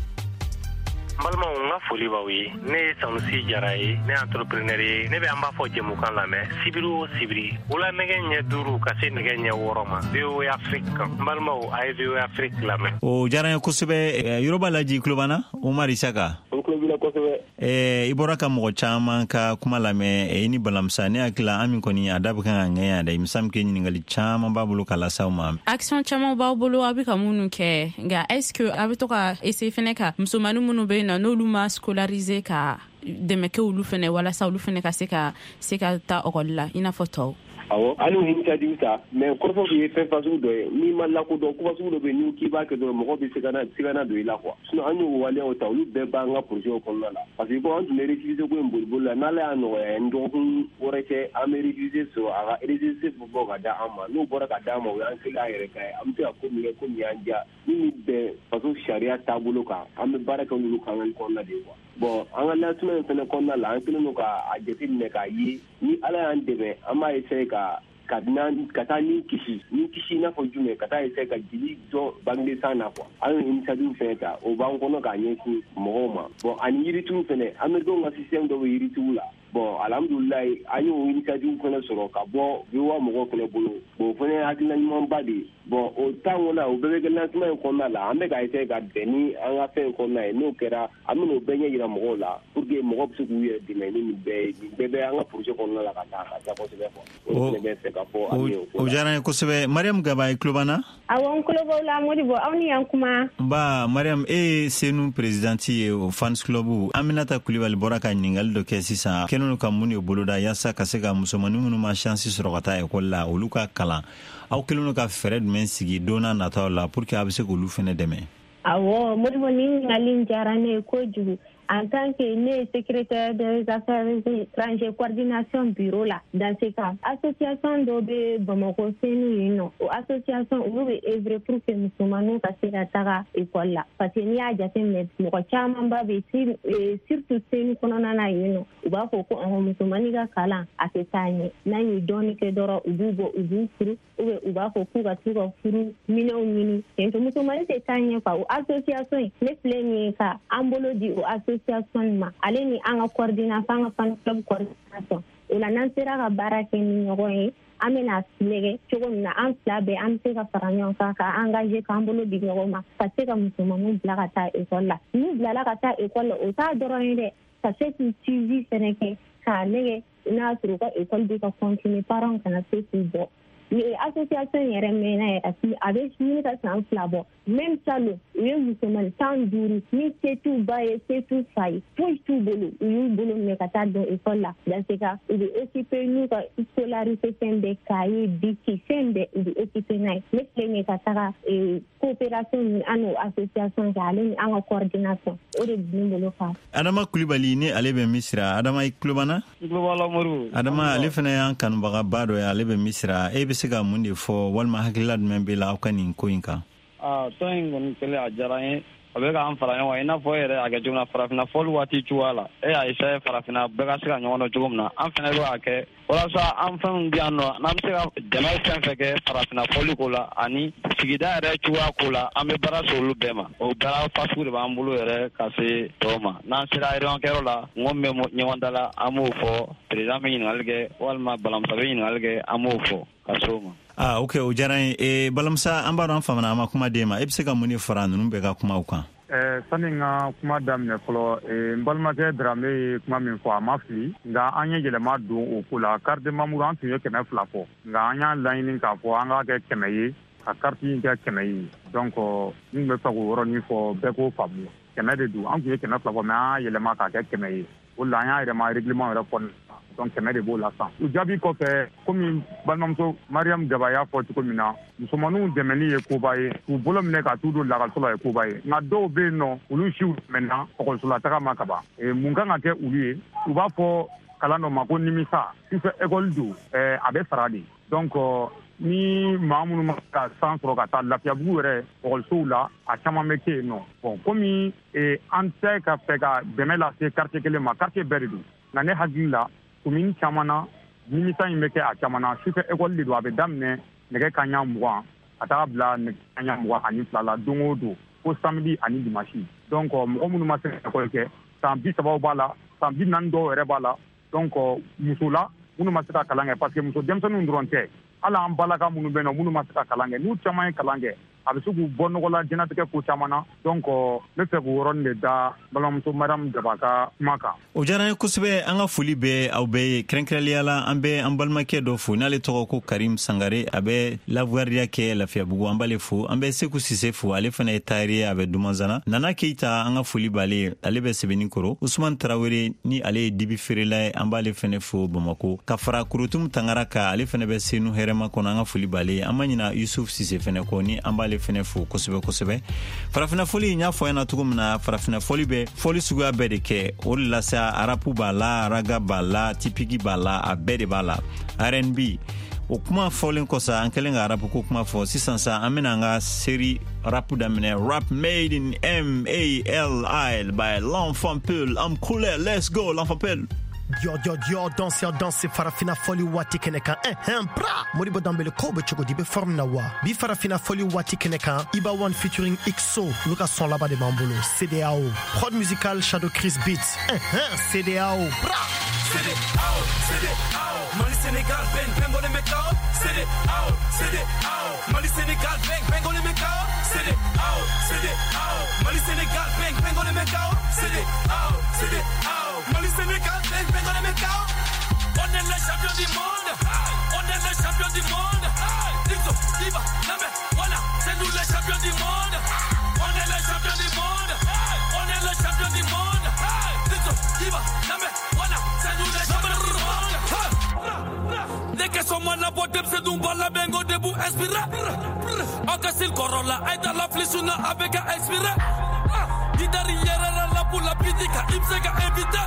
S14: N balimaw, n ka foli b'aw ye. Ne ye Sanusi Jara ye, ne ye entrepreneur ye. Ne bɛ an b'a fɔ jɛmukan lamɛn sibiri o sibiri wula nɛgɛ ɲɛ duuru ka se nɛgɛ ɲɛ wɔɔrɔ ma V O A Afrique kan. N balimaw, a ye V O A Afrique lamɛn.
S3: O diyara n ye kosɛbɛ. Yoroba Laji, i tulo b'an na? Umar Isaka.
S7: N tulo b'i la kosɛbɛ.
S3: Eh, i bɔra ka mɔgɔ caman ka kuma lamɛn, i ni Balamisa. Ne hakili la an min kɔni a da bɛ kan ka ŋɛɲɛ dɛ. Misa min kɛ ɲininkali caman b'a bolo ka las'aw ma.
S6: Action caman b'aw bolo aw bɛ ka minnu kɛ, nka est ce que a bɛ to ka essayer fɛnɛ ka musomanin minnu bɛ yen nɔ n'olu ma scolariser ka dɛmɛ kɛ olu fɛnɛ walasa olu fɛnɛ ka se ka se ka taa ekɔli la i n'a fɔ tɔw?
S7: Awɔ, hali o initiative ta, mais kɔrɔfɔ ye fɛn fasugu dɔ ye n'i ma lakodɔn, ko fasugu dɔ bɛ yen n'i k'i b'a kɛ dɔrɔn mɔgɔ bɛ sigana sigana don i la quoi. Sinon an y'o waleyaw ta, olu bɛɛ b'an ka projet kɔnɔna la, parce que bon an tun bɛ récépissé ko in boliboli la, n'Ala y'a nɔgɔya ni dɔgɔkun wɛrɛ cɛ an bɛ récépissé sɔrɔ, a ka récépissé bɛ bɔ ka d'an ma. N'o bɔra ka d'an ma, o y'an kɛlen an yɛrɛ ta ye, an bɛ se ka ko min kɛ ko min y'an diya min bɛ bɛn faso sariya taabolo kan, an bɛ baara kɛ n'olu kan kɔnɔna de ye quoi. Bon an ka lancement in fɛnɛ kɔnɔna la, an kɛlen don k'a jateminɛ k'a ye ni Ala y'an dɛmɛ, an b'a essayer ka ka ka taa ni kisi ni kisi i n'a fɔ jumɛn, ka taa essayer ka jeli jɔ bangesan na quoi. An ye initiative fɛnɛ ta, o b'an kɔnɔ k'a ɲɛsin mɔgɔw ma. Bon ani yirituru fɛnɛ, an bɛ dɔw ka système dɔ bɛ yirituru la. Bon alhamdulilayi an y'o initiative fɛnɛ sɔrɔ ka bɔ V O A mɔgɔw fɛnɛ bolo. Bon o fɛnɛ ye hakilina ɲumanba de ye. Bon o temps kɔnɔ, o bɛɛ bɛ kɛ lancement in kɔnɔna la, an bɛ ka essayer ka bɛn ni an ka fɛn kɔnɔna ye. N'o kɛra, an bɛn'o bɛɛ ɲɛ yira mɔgɔw la pour que mɔgɔw bɛ se k'u yɛrɛ dɛmɛ ni nin bɛɛ ye. Nin bɛɛ bɛ an ka projet kɔnɔna la ka taa ka taa kosɛbɛ quoi. O de fɛnɛ bɛ fɛ ka fɔ an ye o ko la.
S3: O diyara n ye kosɛbɛ. Mariam Gaba, i tulo b'an na?
S15: Awɔ, n tulo b'aw la Modibo, aw ni yan kuma.
S3: Nba Mariam, e ye Senu présidente ye o fans club. Aminata Kulibali bɔra ka ɲininkali dɔ kɛ sisan. Kɛlen don ka mun de boloda yaasa ka se ka musomanin minnu ma chance sɔrɔ ka taa ekɔli la, olu ka kalan? Aw kɛlen don ka fɛɛrɛ jumɛn sigi don n'a nataw la pour que a bɛ se k'olu fɛnɛ dɛmɛ?
S15: Awɔ Modibo, nin ɲininkali in diyara ne ye kojugu. En tant que ne secrétaire des affaires étrangères coordination bureau la, dans ce cas association dɔ bɛ Bamakɔ Senu yen nɔ, o association olu bɛ œuvrer pour que musomaninw ka se ka taga école la, parce que n'i y'a jateminɛ mɔgɔ camanba bɛ surtout Senu kɔnɔna na yen nɔ, u b'a fɔ ko ɔhɔn musomanin ka kalan a tɛ taa ɲɛ, n'a ye dɔɔnin kɛ dɔrɔn u b'u bɔ u b'u furu, ou bien u b'a fɔ k'u ka t'u ka furu minɛnw ɲini tentɔ musomanin tɛ taa ɲɛ quoi. O association in ne filɛ nin ye ka an bolo di o association ma, ale ni an ka coordination, an ka fan club coordination. O la n'an sera ka baara kɛ ni ɲɔgɔn ye, an bɛna lajɛ cogo min na an fila bɛɛ an bɛ se ka fara ɲɔgɔn kan ka engager k'an bolo di ɲɔgɔn ma ka se ka musomaninw bila ka taa école la. N'u bilala ka taa école la, o t'a dɔrɔn ye dɛ, ka se k'u suivi fɛnɛ kɛ k'a lajɛ n'a sɔrɔ u ka école bɛ ka continuer, parents kana se k'u bɔ. Ni association yɛrɛ mɛnna yɛrɛ, a bɛ ɲini ka san fila bɔ. Même salon u ye musomanin tan duuru ni se t'u ba ye se t'u fa ye foyi t'u bolo, u y'u bolo minɛ ka taa don école la. Dans ce cas u bɛ occuper n'u ka scolarité fɛn bɛɛ, cahier, bic, fɛn bɛɛ u bɛ occuper n'a ye. Ne filɛ nin ye ka taga coopération ni an n'o association kɛ, ale ni an ka coordination, o de bɛ ne bolo ka.
S3: Adama Kulibali ni ale bɛ Misira. Adama, i tulo b'an na?
S8: N tulo b'a la Modibo.
S3: Adama, ale fana y'an kanubagaba dɔ ye, ale bɛ Misira. E bɛ se ka mun de fɔ walima hakilila jumɛn b'e la aw ka nin ko in kan?
S8: Aa tɔn in kɔni kɛlen a diyara n ye, a bɛ k'an fara ɲɔgɔn kan i n'a fɔ e yɛrɛ y'a kɛ cogo min na farafinna fɔli waati cogoya la, e y'a essayer farafinna bɛɛ ka se ka ɲɔgɔn dɔn cogo min na, an fana bɛ k'a kɛ walasa an fɛnw bɛ yan nɔ n'an bɛ se ka dɛmɛ fɛn fɛn kɛ farafinna fɔli ko la ani sigida yɛrɛ cogoya ko la, an bɛ baara se olu bɛɛ ma. O baara fasugu de b'an bolo yɛrɛ ka se tɔw ma. N'an sera réunion kɛyɔrɔ la, mɔgɔ min bɛ ɲɔgɔn da la, an b'o fɔ, président bɛ ɲininkali kɛ walima Balamisa bɛ ɲininkali kɛ, an b'o fɔ ka se o ma.
S3: Ah ok, o diyara n ye. Balamisa, an b'a dɔn an famana an ma kuma d'e ma, e bɛ se ka mun de fara ninnu bɛɛ ka kumaw kan?
S5: Eh, sani n ka kuma daminɛ fɔlɔ, eh, n balimakɛ Dramé ye kuma min fɔ, a ma fili, nka an ye yɛlɛma don o ko la. Carte de membre an tun ye kɛmɛ fila fɔ, nka an y'a laɲini k'a fɔ an k'a kɛ kɛmɛ ye, ka carte in kɛ kɛmɛ ye. Donc n tun bɛ fɛ k'o yɔrɔnin fɔ bɛɛ k'o faamu. Kɛmɛ de don, an tun ye kɛmɛ fila fɔ, mais an y'a yɛlɛma k'a kɛ kɛmɛ ye. O la an y'a yɛlɛma règlement yɛrɛ kɔnɔna na. Donc kɛmɛ de b'o la sisan. O jaabi kɔfɛ, komi balimamuso Mariam Daba y'a fɔ cogo min na, musomaninw dɛmɛni ye koba ye, k'u bolo minɛ ka t'u don lakɔliso la ye koba ye. Nka dɔw bɛ yen nɔ, olu siw tɛmɛna ekɔliso la taga ma kaban. Mun kan ka kɛ olu ye? U b'a fɔ kalan dɔ ma ko nimisa, sufɛ ekɔli don, a bɛ sara de. Donc ni maa minnu ma ka san sɔrɔ ka taa Lafiyabugu yɛrɛ ekɔlisow la, a caman bɛ kɛ yen nɔ. Bon, komi an tɛ ka fɛ ka dɛmɛ lase quartier kelen ma, quartier bɛɛ de don. Nka ne hakili la, commune caman na nimisa in bɛ kɛ a caman na. Sufɛ ekɔli de don, a bɛ daminɛ nɛgɛ kanɲɛ mugan ka taga bila nɛgɛ kanɲɛ mugan ani fila la don o don, fo samedi ani dimanche. Donc mɔgɔ minnu ma se ka ekɔli kɛ, san bi sabaw b'a la, san bi naani dɔw yɛrɛ b'a la. Donc muso la minnu ma se ka kalan kɛ, parce que muso denmisɛnninw dɔrɔn tɛ, hali an balaka minnu bɛ yen nɔ, minnu ma se ka kalan kɛ, n'u caman ye kalan kɛ, a bɛ se k'u bɔ nɔgɔ la diɲɛlatigɛ ko caman na. Donc n bɛ fɛ k'o yɔrɔnin de da balimamuso Mariam Daba ka kuma kan.
S3: O diyara n ye kosɛbɛ. An ka foli bɛ aw bɛɛ ye, kɛrɛnkɛrɛnnenya la an bɛ an balimakɛ dɔ fo n'ale tɔgɔ ko Karim Sangare, a bɛ lavuwariya kɛ Lafiyabugu, an b'ale fo. An bɛ Seku Sise fo, ale fana ye tayɛri ye, a bɛ Dumanzana. Nana Keyita, an ka foli b'ale ye, ale bɛ Sɛbɛnni-Kɔrɔ. Usman Tarawele ni ale ye dibi feerela ye, an b'ale fana fo Bamakɔ. Ka fara Kurutum Tangara kan, ale fana bɛ Senu hɛrɛma kɔnɔ, an ka foli b'ale ye. An ma ɲina Yusuf Sise fana kɔ, ni an b'ale fɛnɛ fo kosɛbɛ kosɛbɛ. Farafinna fɔli, n y'a fɔ ɲɛna cogo min na, farafinna fɔli bɛ fɔli suguya bɛɛ de kɛ. O de la sa, arapu b'a la, raga b'a la, tipiki b'a la, a bɛɛ de b'a la, R N B. O kuma fɔlen kɔsa, an kɛlen ka arapu ko kuma fɔ sisan sa, an bɛna an ka série rap daminɛ, Rap Made in M A L I by L'Enfant Peul. Am couleur, let's go L'Enfant Peul.
S16: Yo yo yo, danse danse farafina fɔli waati kɛnɛ kan. Ɛhɛn, bra Modibo Dembele ko bɛ cogo di, bɛ forme na wa? Bi farafina fɔli waati kɛnɛ kan, Iba One featuring X O, olu ka son laban de b'an bolo. C D A O, prod musical Shadow Chris Beats. Ɛhɛn, C D A O, bra
S13: C D A O, C D A O, Mali Sénégal bang bang on les met K O. C D A O, C D A O, Mali Sénégal bang bang on les met K O. C D A O, C D A O, Mali Sénégal bang bang on les met K O. C D A O, C D A O, Mali Sénégal bang bang on les met K O. On est les champions du monde, on est les champions du monde. Dixo, Iba, Lamé, voilà, c'est nous les champions du monde. On est les champions du monde, on est les champions du monde. Dixo, Iba, Lamé, voilà, c'est nous les champions du monde. Neke soma na botem se dumba la bengo debout inspiré. Akasil corolla aida la flisuna avec inspiré. Gidari yerera la pula pitika imseka invité.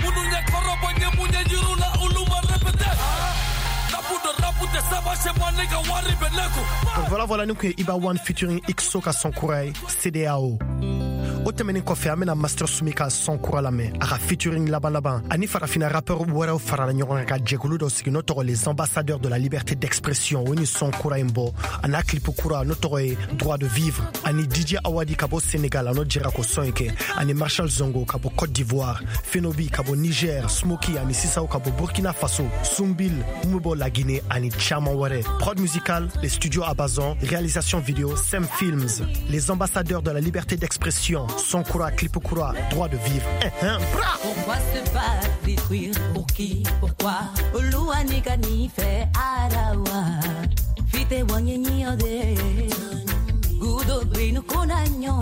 S13: Mununya korobo nye munye yirula uluma répété.
S16: Donc voilà, voilà, nous Iba One featuring X O ka son kura ye C D A O. O tɛmɛnen kɔfɛ, an bɛna Master Sumi ka son kura lamɛn, a ka featuring laban laban ani farafina rappeur wɛrɛw farala ɲɔgɔn kan ka jɛkulu dɔ sigi n'o tɔgɔ les ambassadeurs de la liberté d'expression. O ni son kura in bɔ a n'a clip kura n'o tɔgɔ ye droit de vivre, ani D J Awadi ka bɔ Sénégal, a n'o jɛra k'o son in kɛ, ani Marshal Zongo ka bɔ Côte d'Ivoire, Fenobi ka bɔ Niger, Smokey ani Sisaw ka bɔ Burkina Faso, Sumbil mun bɛ bɔ la Guinée ani caman wɛrɛ. Prod musicale les studios Abazon, réalisation vidéo Sem Films, les ambassadeurs de la liberté d'expression. Son kura, clip kura, droit de vivre. Un, un, bra.
S12: Pourquoi se battre, détruire, pour qui, pourquoi? Oluwanika ni fait arawa. Fite wanye ni ode. Gudo binu konanyo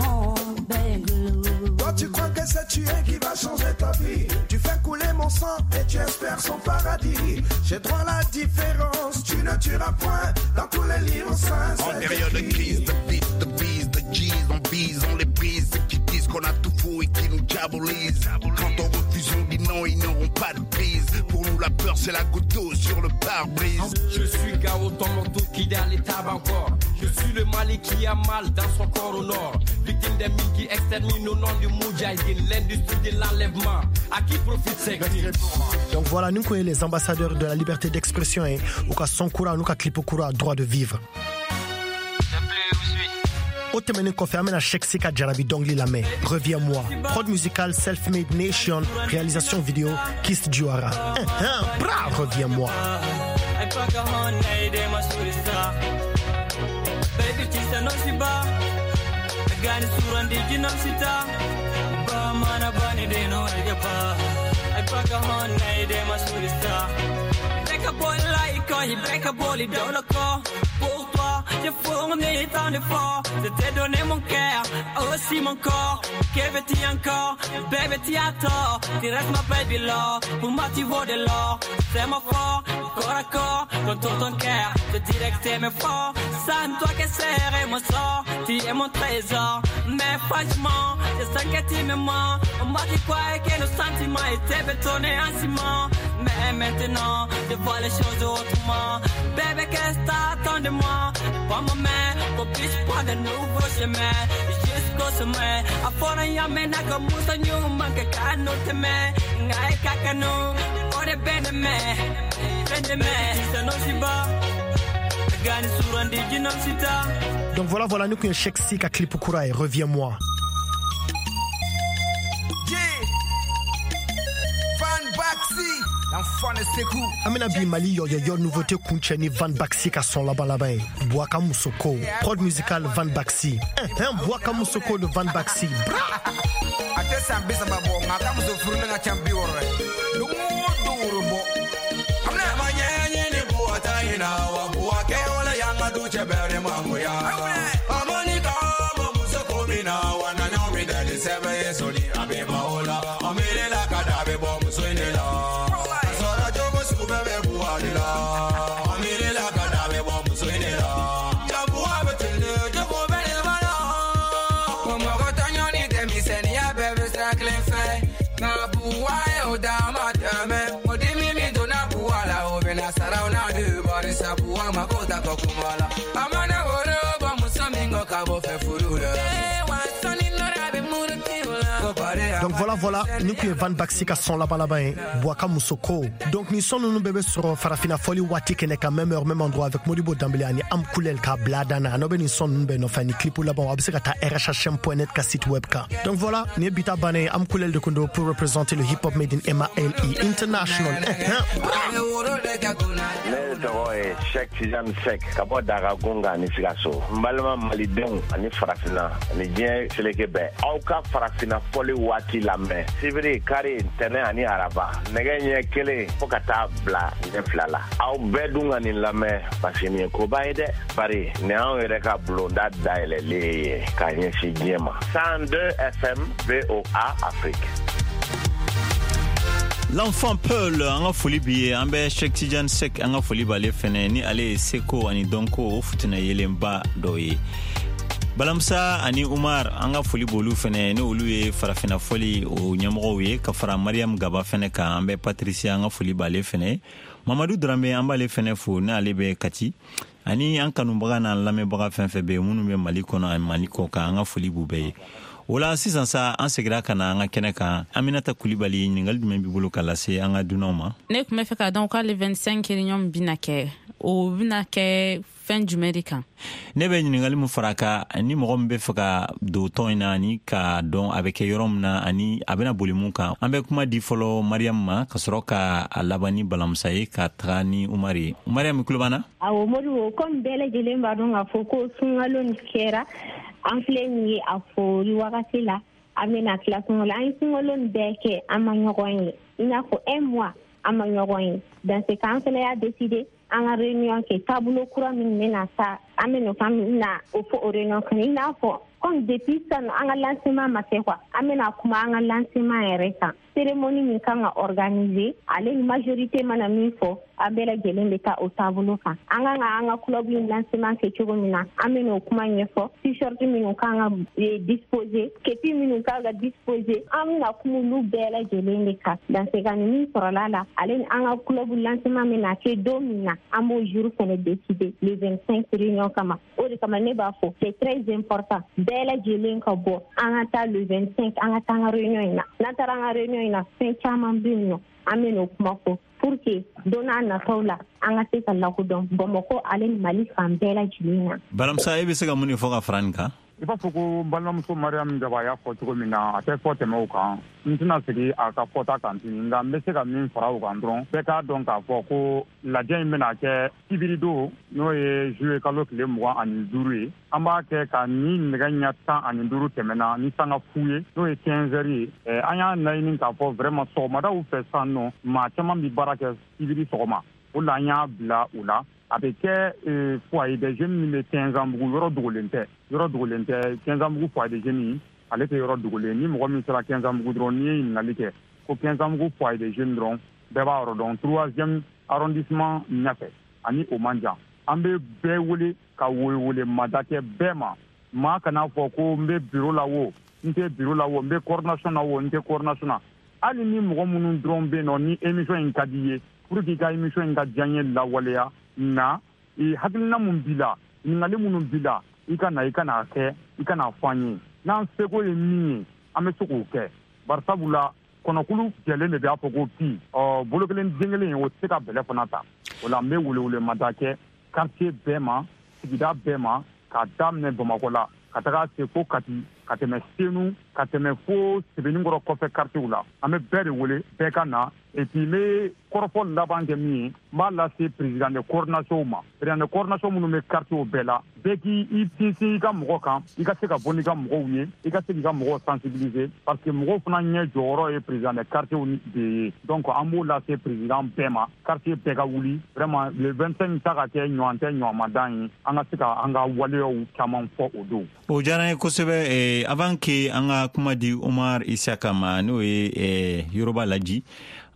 S12: benglu.
S17: Toi tu crois que c'est tuer qui va changer ta vie. Tu fais couler mon sang et tu espères son paradis. J'ai droit à la différence, tu ne tueras point. Dans tous les livres saints.
S18: En période de crise, de beat, de bise, de G's, on bise, on les brise. Ceux qui disent qu'on a tout faux et qui nous diabolisent. Quand on refuse, on dit non, ils n'auront pas de prise. Pour nous, la peur, c'est la goutte d'eau sur le pare-brise.
S19: Je suis Gao, ton manteau qui dans les tables encore. Je suis le Mali qui a mal dans son corps au nord. Victime des mines qui exterminent au nom du Moudjahidine, l'industrie de l'enlèvement. À qui profite ces crimes?
S16: Donc voilà, nous connaissons les ambassadeurs de la liberté d'expression et au cas son kura, nous cas clip kura, droit de vivre. O tɛmɛnen kɔfɛ, an bɛna Cheikh Seka Jarabi dɔnkili lamɛn, Reviens-moi. Prod musicale Self-Made Nation, réalisation vidéo Kist Diawara. Un, un, bra, Reviens-moi.
S20: Gani surandi jinam sita ba mana bani de no ba I back a hon de masurista Break a boy like he break a ball dans le corps. Pour toi, j'ai fourni tant d'efforts. Je t'ai donné mon cœur, aussi mon corps. Que veux-tu encore? Baby, tu as tort. Tu restes ma baby love. Pour moi, tu vaux de l'or. C'est mon fort, corps à corps. Contre ton cœur, je dirais que t'es mes fort. Sans toi, que serait mon sort? Tu es mon trésor. Mais franchement, je sens que tu me mens. Moi qui croyais que nos sentiments étaient bétonnés en ciment. Mais maintenant, je vois les choses autrement. Bébé, qu'est-ce que t'attends de moi? Prends ma main, qu'on puisse prendre un nouveau chemin. Jusqu'au sommet. Afora yamena kamusa nyuma kakano teme. Ngai kakano, ore beneme. Beneme, sanoshimba. Gani surandi jinam sita.
S16: Donc voilà, voilà, nous qui Cheikh Sy ka clip kura et reviens-moi. Amina bi Mali yo yo yo nouveauté kunceni Van Baxi ka son laban laban ye Bouaka Musoko prod musical Van Baxi un Bouaka Musoko de Van Baxi bra
S21: ate sambe samba bo ngaka muso furule nga chambi worre dungu duru bo amna manyenye ni buata ina wa buake wala yanga du chebere mangoya amoni ka mo musoko mina wana nyomi dali sebe yesoli abe maola amire la kada be bo muso inela
S16: Donc voilà, voilà, nous qui Van Baxi ka son là-bas là-bas, Bouaka Musoko. Donc nous sommes nous bébés sur Farafina Foli Wati Keneka, même heure, même endroit avec Modibo Dembélé ani Amkoulel ka Bladana. Nous ben son nous ben enfin ni clip là-bas, on va ta R H H M point net ka site web ka. Donc voilà, ni bita bané Amkoulel de Kondo pour représenter le hip hop made in M A L I International.
S22: Ne tɔgɔ ye Cheikh Tidiane Seck ka bɔ Dagagonga ni Sikaso. N balima malidenw ani farafinna ani diɲɛ seleke bɛɛ, aw ka farafinna fɔli waati lamɛn sibiri, kari, ntɛnɛn ani araba nɛgɛ ɲɛ kelen fo ka taa bila ɲɛ fila la. Aw bɛɛ dun ka nin lamɛn parce que nin ye koba ye dɛ, bari nin y'anw yɛrɛ ka bulonda dayɛlɛlen ye k'a ɲɛsin diɲɛ ma. cent deux F M V O A Afrique.
S3: L'enfant Peul an ka foli b'i ye, an bɛ Cheikh Tidiane Seck an ka foli b'ale fɛnɛ ni ale ye seko ani dɔnko o fitinɛ yelenba dɔ ye. Balamsa ani Umar an ka foli b'olu fɛnɛ ni olu ye farafinna fɔli o ɲɛmɔgɔw ye ka fara Mariam Gaba fɛnɛ kan, an bɛ Patricia an ka foli b'ale fɛnɛ, Mamadu Dramé an b'ale fɛnɛ fo n'ale bɛ Kati, ani an kanubaga n'an lamɛnbaga fɛn fɛn bɛ yen minnu bɛ Mali kɔnɔ ani Mali kɔ kan, an ka foli b'u bɛɛ ye. O la sisan sa an segira ka na an ka kɛnɛ kan. Aminata Kulibali, ɲininkali jumɛn b'i bolo ka lase an ka dunanw ma?
S6: Ne tun bɛ fɛ k'a dɔn k'ale vingt-cinq réunion bɛna kɛ, o bɛna kɛ fɛn jumɛn de kan?
S3: Ne bɛ ɲininkali min fara kan, ni mɔgɔ min bɛ fɛ ka don tɔn in na ani k'a dɔn a bɛ kɛ yɔrɔ min na ani a bɛna boli mun kan, an bɛ kuma di fɔlɔ Mariam ma ka sɔrɔ ka a laban ni Balamsa ye ka taga ni Umar ye. Mariam, tulo b'an na?
S15: Awɔ Modibo, komi bɛɛ lajɛlen b'a dɔn k'a fɔ ko sunkalo nin kɛra, an filɛ nin ye a fori wagati la, an bɛna tila sunkalo, an ye sunkalo nin bɛɛ kɛ an ma ɲɔgɔn ye, i n'a fɔ un mois an ma ɲɔgɔn ye. Dans ce cas, an fana y'a décidé an ka réunion kɛ taabolo kura min bɛna taa, an bɛna o bɛna o fɔ o réunion kɔnɔ, i n'a fɔ comme depuis sisan an ka lancement ma kɛ quoi, an bɛna kuma an ka lancement yɛrɛ kan, cérémonie min kan ka organiser, ale ni majorité mana min fɔ, an bɛɛ lajɛlen bɛ taa o taabolo kan. An kan ka an ka club in lancement kɛ cogo min na, an bɛna o kuma ɲɛfɔ, t-shirt minnu kan ka disposer, képi minnu kan ka disposer, an bɛna kuma olu bɛɛ lajɛlen de kan. Dans ce cas, ni min sɔrɔla la, ale ni an ka club lancement bɛna kɛ don min na, an b'o jour fɛnɛ décider le vingt-cinq réunion kama. O de kama ne b'a fɔ c'est très important bɛɛ lajɛlen ka bɔ, an ka taa le vingt-cinq, an ka taa an ka réunion in na. N'an taara an ka réunion in na, fɛn caman bɛ yen nɔ, an bɛ n'o kuma fɔ pour que don n'a nataw la an ka se ka lakodɔn Bamakɔ ale ni Mali fan bɛɛ lajɛlen na.
S3: Balamsa, e bɛ se ka mun de fɔ ka fara nin kan?
S5: I b'a fɔ ko n balimamuso Mariam Daba y'a fɔ cogo min na, a tɛ fɔ tɛmɛ o kan. N tɛna segin a ka fɔta kan tuguni, nka n bɛ se ka min fara o kan dɔrɔn, bɛɛ k'a dɔn k'a fɔ ko lajɛ in bɛna kɛ sibiri don, n'o ye juillet kalo tile mugan ani duuru ye. An b'a kɛ ka ni nɛgɛ ɲɛ tan ani duuru tɛmɛna ni sanga fu ye, n'o ye quinze heures ye. An y'a laɲini k'a fɔ vraiment sɔgɔmadaw fɛ sisan nɔ, maa caman bɛ baara kɛ sibiri sɔgɔma. O la an y'a bila o la. A bɛ kɛ foyer des jeunes min bɛ Kɛnzanbugu, yɔrɔ dogolen tɛ, yɔrɔ dogolen tɛ. Kɛnzanbugu foyer des jeunes, ale tɛ yɔrɔ dogolen. Ni mɔgɔ min sera Kɛnzanbugu dɔrɔn, n'i ye ɲininkali kɛ ko Kɛnzanbugu foyer des jeunes dɔrɔn, bɛɛ b'a yɔrɔ dɔn, troisième arrondissement ɲɛfɛ, ani o man jan. An bɛ bɛɛ wele ka welewele mada kɛ bɛɛ ma. Maa kana fɔ ko n bɛ bureau la wo, n tɛ bureau la wo, n bɛ coordination na wo, n tɛ coordination na. Hali ni mɔgɔ minnu dɔrɔn bɛ yen nɔ, ni émission in ka di i ye, pour que i ka émission in ka diya n ye lawaleya na, hakilina mun b'i la, ɲininkali minnu b'i la, i ka na i ka n'a kɛ, i ka n'a fɔ an ye. N'an seko ye min ye, an bɛ se k'o kɛ. Bari sabula kɔnɔkulu jɛlen de b'a fɔ ko bi, ɔ bolo kelen den kelen o tɛ se ka bɛlɛ fana ta. O la n bɛ welewelemada kɛ quartier bɛɛ ma, sigida bɛɛ ma, k'a daminɛ Bamakɔ la ka taga se fo Kati, ka tɛmɛ Senu, ka tɛmɛ fo Sebenikɔrɔ kɔfɛ quartier la. An bɛ bɛɛ de wele, bɛɛ ka na. Et puis n bɛ kɔrɔfɔ laban kɛ min ye, n b'a lase président de coordination ma. Président de coordination minnu bɛ quartier bɛɛ la, bɛɛ k'i sinsin i ka mɔgɔ kan, i ka se ka bɔ n'i ka mɔgɔw ye, i ka se k'i ka mɔgɔw sensibiliser, parce que mɔgɔw fana ɲɛ jɔyɔrɔ ye président de quartier de ye. Donc an b'o lase président bɛɛ ma, quartier bɛɛ ka wuli vraiment le vingt-cinq ta ka kɛ ɲɔgɔn tɛ ɲɔgɔn ma dan ye, an ka se ka an ka waleyaw caman fɔ o don.
S3: O diyara n ye kosɛbɛ. Avant que an ka kuma di Omar Isaka ma, n'o ye Yoroba Laji,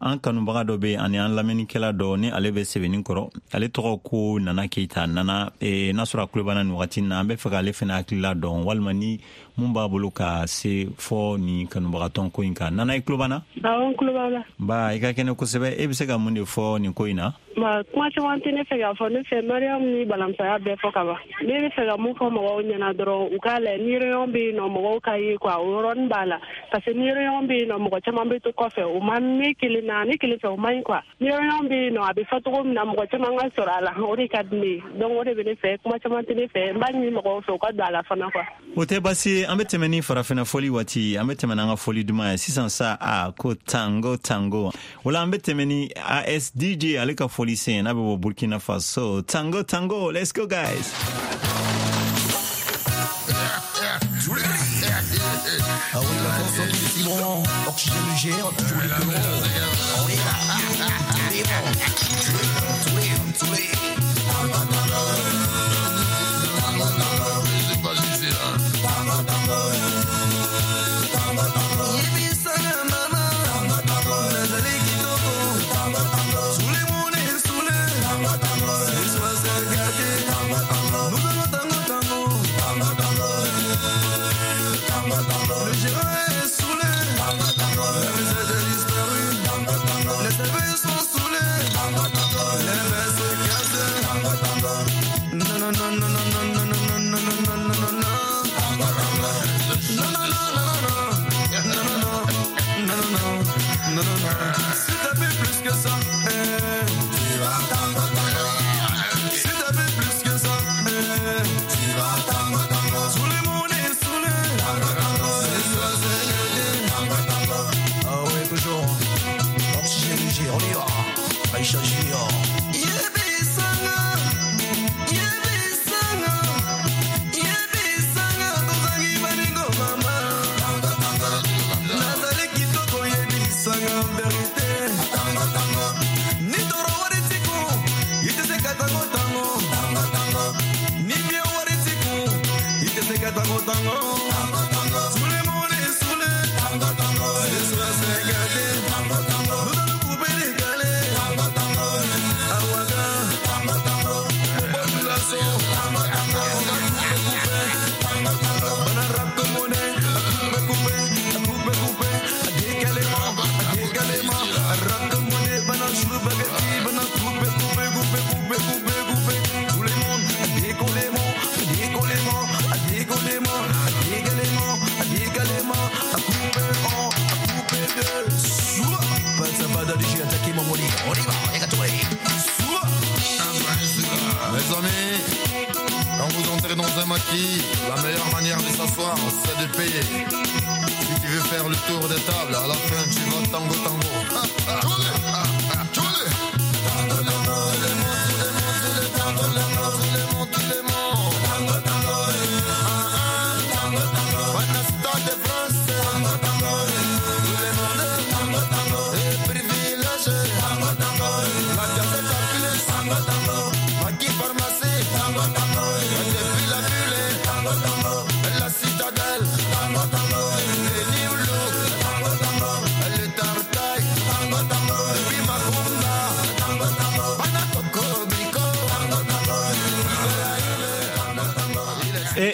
S3: an kanubaga dɔ bɛ ani an lamɛnnikɛla dɔ, ni ale bɛ sɛbɛnni kɔrɔ, ale tɔgɔ ko Nana Keita. Nana, n'a sɔrɔ a tulo b'an na nin wagati in na, an bɛ fɛ k'ale fana hakilila dɔn, walima ni mun b'a bolo ka se fɔ nin kanubagatɔn ko in kan. Nana, i tulo b'an na?
S9: Awɔ, n tulo b'aw la.
S3: Ba, i ka kɛnɛ kosɛbɛ. E bɛ se ka mun de fɔ nin ko in na?
S9: Ba, kuma caman tɛ ne fɛ k'a fɔ. Ne fɛ Mariam ni Balamisa y'a bɛɛ fɔ ka ban. Ne bɛ fɛ ka mun fɔ mɔgɔw ɲɛna dɔrɔn, u k'a lajɛ ni réunion bɛ yen nɔ, mɔgɔw ka ye quoi, o yɔrɔnin b'a la. Parce que ni réunion bɛ yen nɔ, mɔgɔ caman bɛ to kɔfɛ, o ma ne kelen na, ne kelen fɛ o man ɲi quoi. Ni réunion bɛ yen nɔ, a bɛ fɔ cogo min na, mɔgɔ caman ka sɔrɔ a la, o de ka di ne ye. Donc o de bɛ ne fɛ, kuma caman tɛ ne fɛ. N b'a ɲini mɔgɔw fɛ u ka don a la fana quoi.
S3: O tɛ baasi ye. An bɛ tɛmɛ ni farafinna fɔli waati, an bɛ tɛmɛ n'an ka fɔli duman ye sisan sa. A ko tango tango, o la an bɛ tɛmɛ ni A S D J ale ka fɔli sen, n'a bɛ bɔ Burkina Faso. Tango tango, let's go guys.
S2: Ah oui, la force qui est si bon, oxygène G, toujours les colons. On est là, tous les bons, tous les, tous les. Tango, tango, tango, tango.
S18: C'est pas juste là.
S2: Tango, tango, tango, tango. Yebisanga mama, tango, tango. Nazali kitoko, tango, tango. Sous les monnaies, sous les, tango, tango. Ce soir c'est gâté, tango, tango. Nous allons tango, tango, tango, tango. Tango, tango. Le gérant est saoulé, tango, tango. La recette a disparu, tango, tango. Les serveurs sont saoulés, tango, tango. Les mains se cassent, tango, tango. Non, non, non, non, non, non, non, non, non, non, non, non, non, non. Tango, tango. Non, non, non, non, non, non, non, non, non, non, non, non. Si t'avais plus que ça, eh, tu vas tango, tango. Si t'avais plus que ça, eh, tu vas tango, tango. Sous les monnaies, sous les, tango, tango. C'est ça, c'est l'été, tango, tango. Ah ouais, toujours. Oxygène G, on y va. Aïcha Junior. Yebisanga, yebisanga, yebisanga, tozangi baningo mama. Tango, tango. Nazali kitoko yebisanga vérité. Tango, tango. Nitoro waritiku, iteseka tango, tango. Tango, tango. Nibia waritiku, iteseka tango, tango. Tango, tango. Sous les monnaies, sous les, tango, tango. Ce soir c'est gâté, tango, tango. Nous allons couper les galets, tango, tango. Awaga, tango, tango. Bobo la so, tango, tango. On va couper, couper, tango, tango. On a rap de monnaie, couper, couper, couper, couper. Décalément, décalément. Rap de monnaie, banane, chou, baguette, banane, couper, couper, couper, couper, couper, couper. Tout le monde, décollément, décollément, décollément, décalément, décalément. Couper en, couper deux. Soua. Pas ça va d'aller, j'ai attaqué mon mollet. On y va, on y va, soua.
S18: Mes amis, quand vous entrez dans un maquis, la meilleure manière de
S4: soir, c'est de payer. Si tu veux faire le tour des tables, à la fin tu vas tango tango.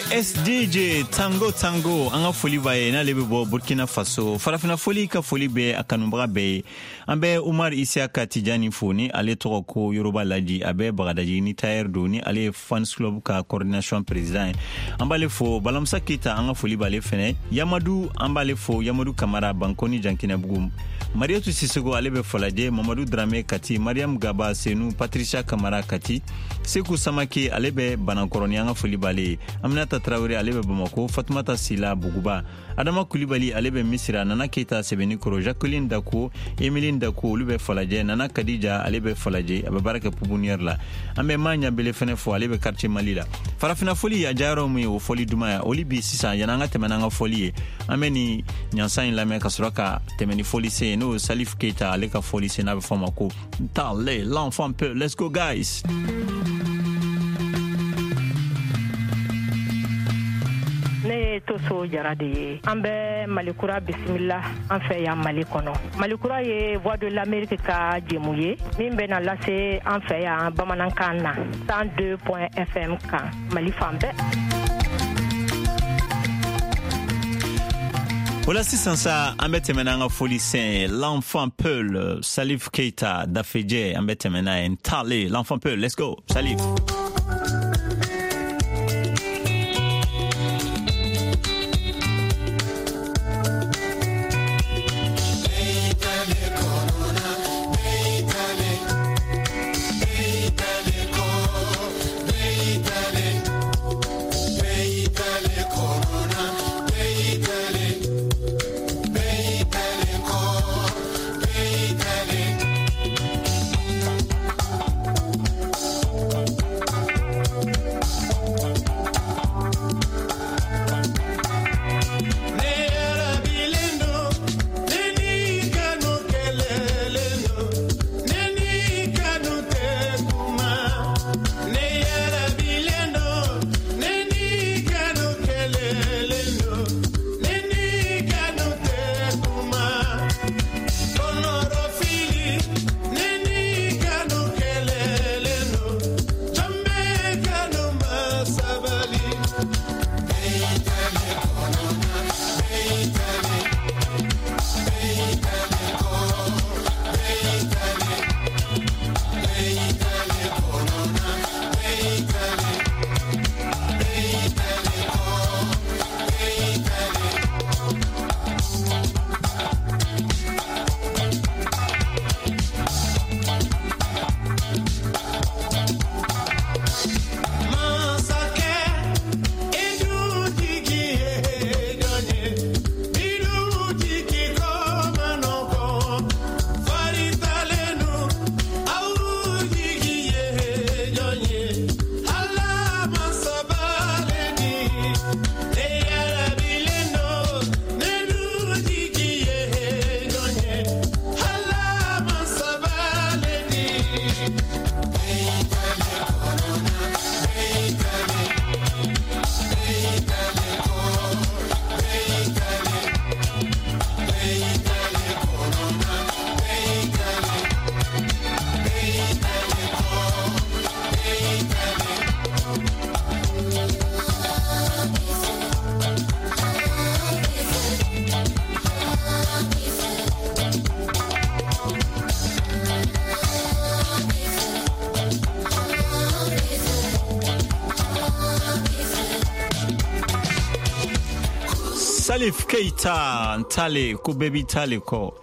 S3: S D J Tango Tango an ka foli b'a ye n'ale bɛ bɔ Burkina Faso. Farafina foli ka foli bɛ a kanubaga bɛɛ ye. An bɛ Umar Isiaka Tijani fo ni ale tɔgɔ ko Yoruba Laji, a bɛ Bagadaji ni tailleur don, ni ale ye fans club ka coordination président ye. An b'ale fo. Balamusa Keita, an ka foli b'ale fɛnɛ. Yamadu, an b'ale fo, Yamadu Kamara Bankoni Jankinabugu. Mariatu Sisoko, ale bɛ Falajɛ. Mamadu Drame Kati, Mariam Gaba Senu, Patricia Kamara Kati, Seku Samake, ale bɛ Banankɔrɔni, an ka foli b'ale ye. Aminata Traoré, ale bɛ Bamako. Fatumata Sila Buguba, Adama Kulibali, ale bɛ Misira. Nana Keita Sɛbɛnnikɔrɔ, Jacqueline Dako, Emeline Dako, olu bɛ Falajɛ. Nana Kadija, ale bɛ Falajɛ, a bɛ baara kɛ pouponnière la. An bɛ Ma Ɲabele fɛnɛ fo, ale bɛ quartier Mali la. Farafina foli a diyayɔrɔ mun ye, o fɔli duman ye. Olu bi sisan yanni an ka tɛmɛ n'an ka fɔli ye, an bɛ nin ɲansan in lamɛn ka sɔrɔ ka tɛmɛ ni fɔli sen ye, n'o ye Salif Keita, ale ka fɔli sen n'a bɛ fɔ a ma ko Ntale l'enfant peu. Let's go guys.
S10: Ne ye Toso Jara de ye. An bɛ Malikura bisimila an fɛ yan Mali kɔnɔ. Malikura ye Voix de l'Amérique ka jɛmu ye min bɛna lase an fɛ yan bamanankan na cent deux point F M kan Mali fan bɛɛ.
S3: O la sisan sa, an bɛ tɛmɛ n'an ka foli sen ye. L'enfant Peul, Salif Keita Dafejɛ, an bɛ tɛmɛ n'a ye. Ntale l'enfant Peul, let's go Salif. Salif Keita, Ntale ko bɛɛ b'i t'ale kɔ.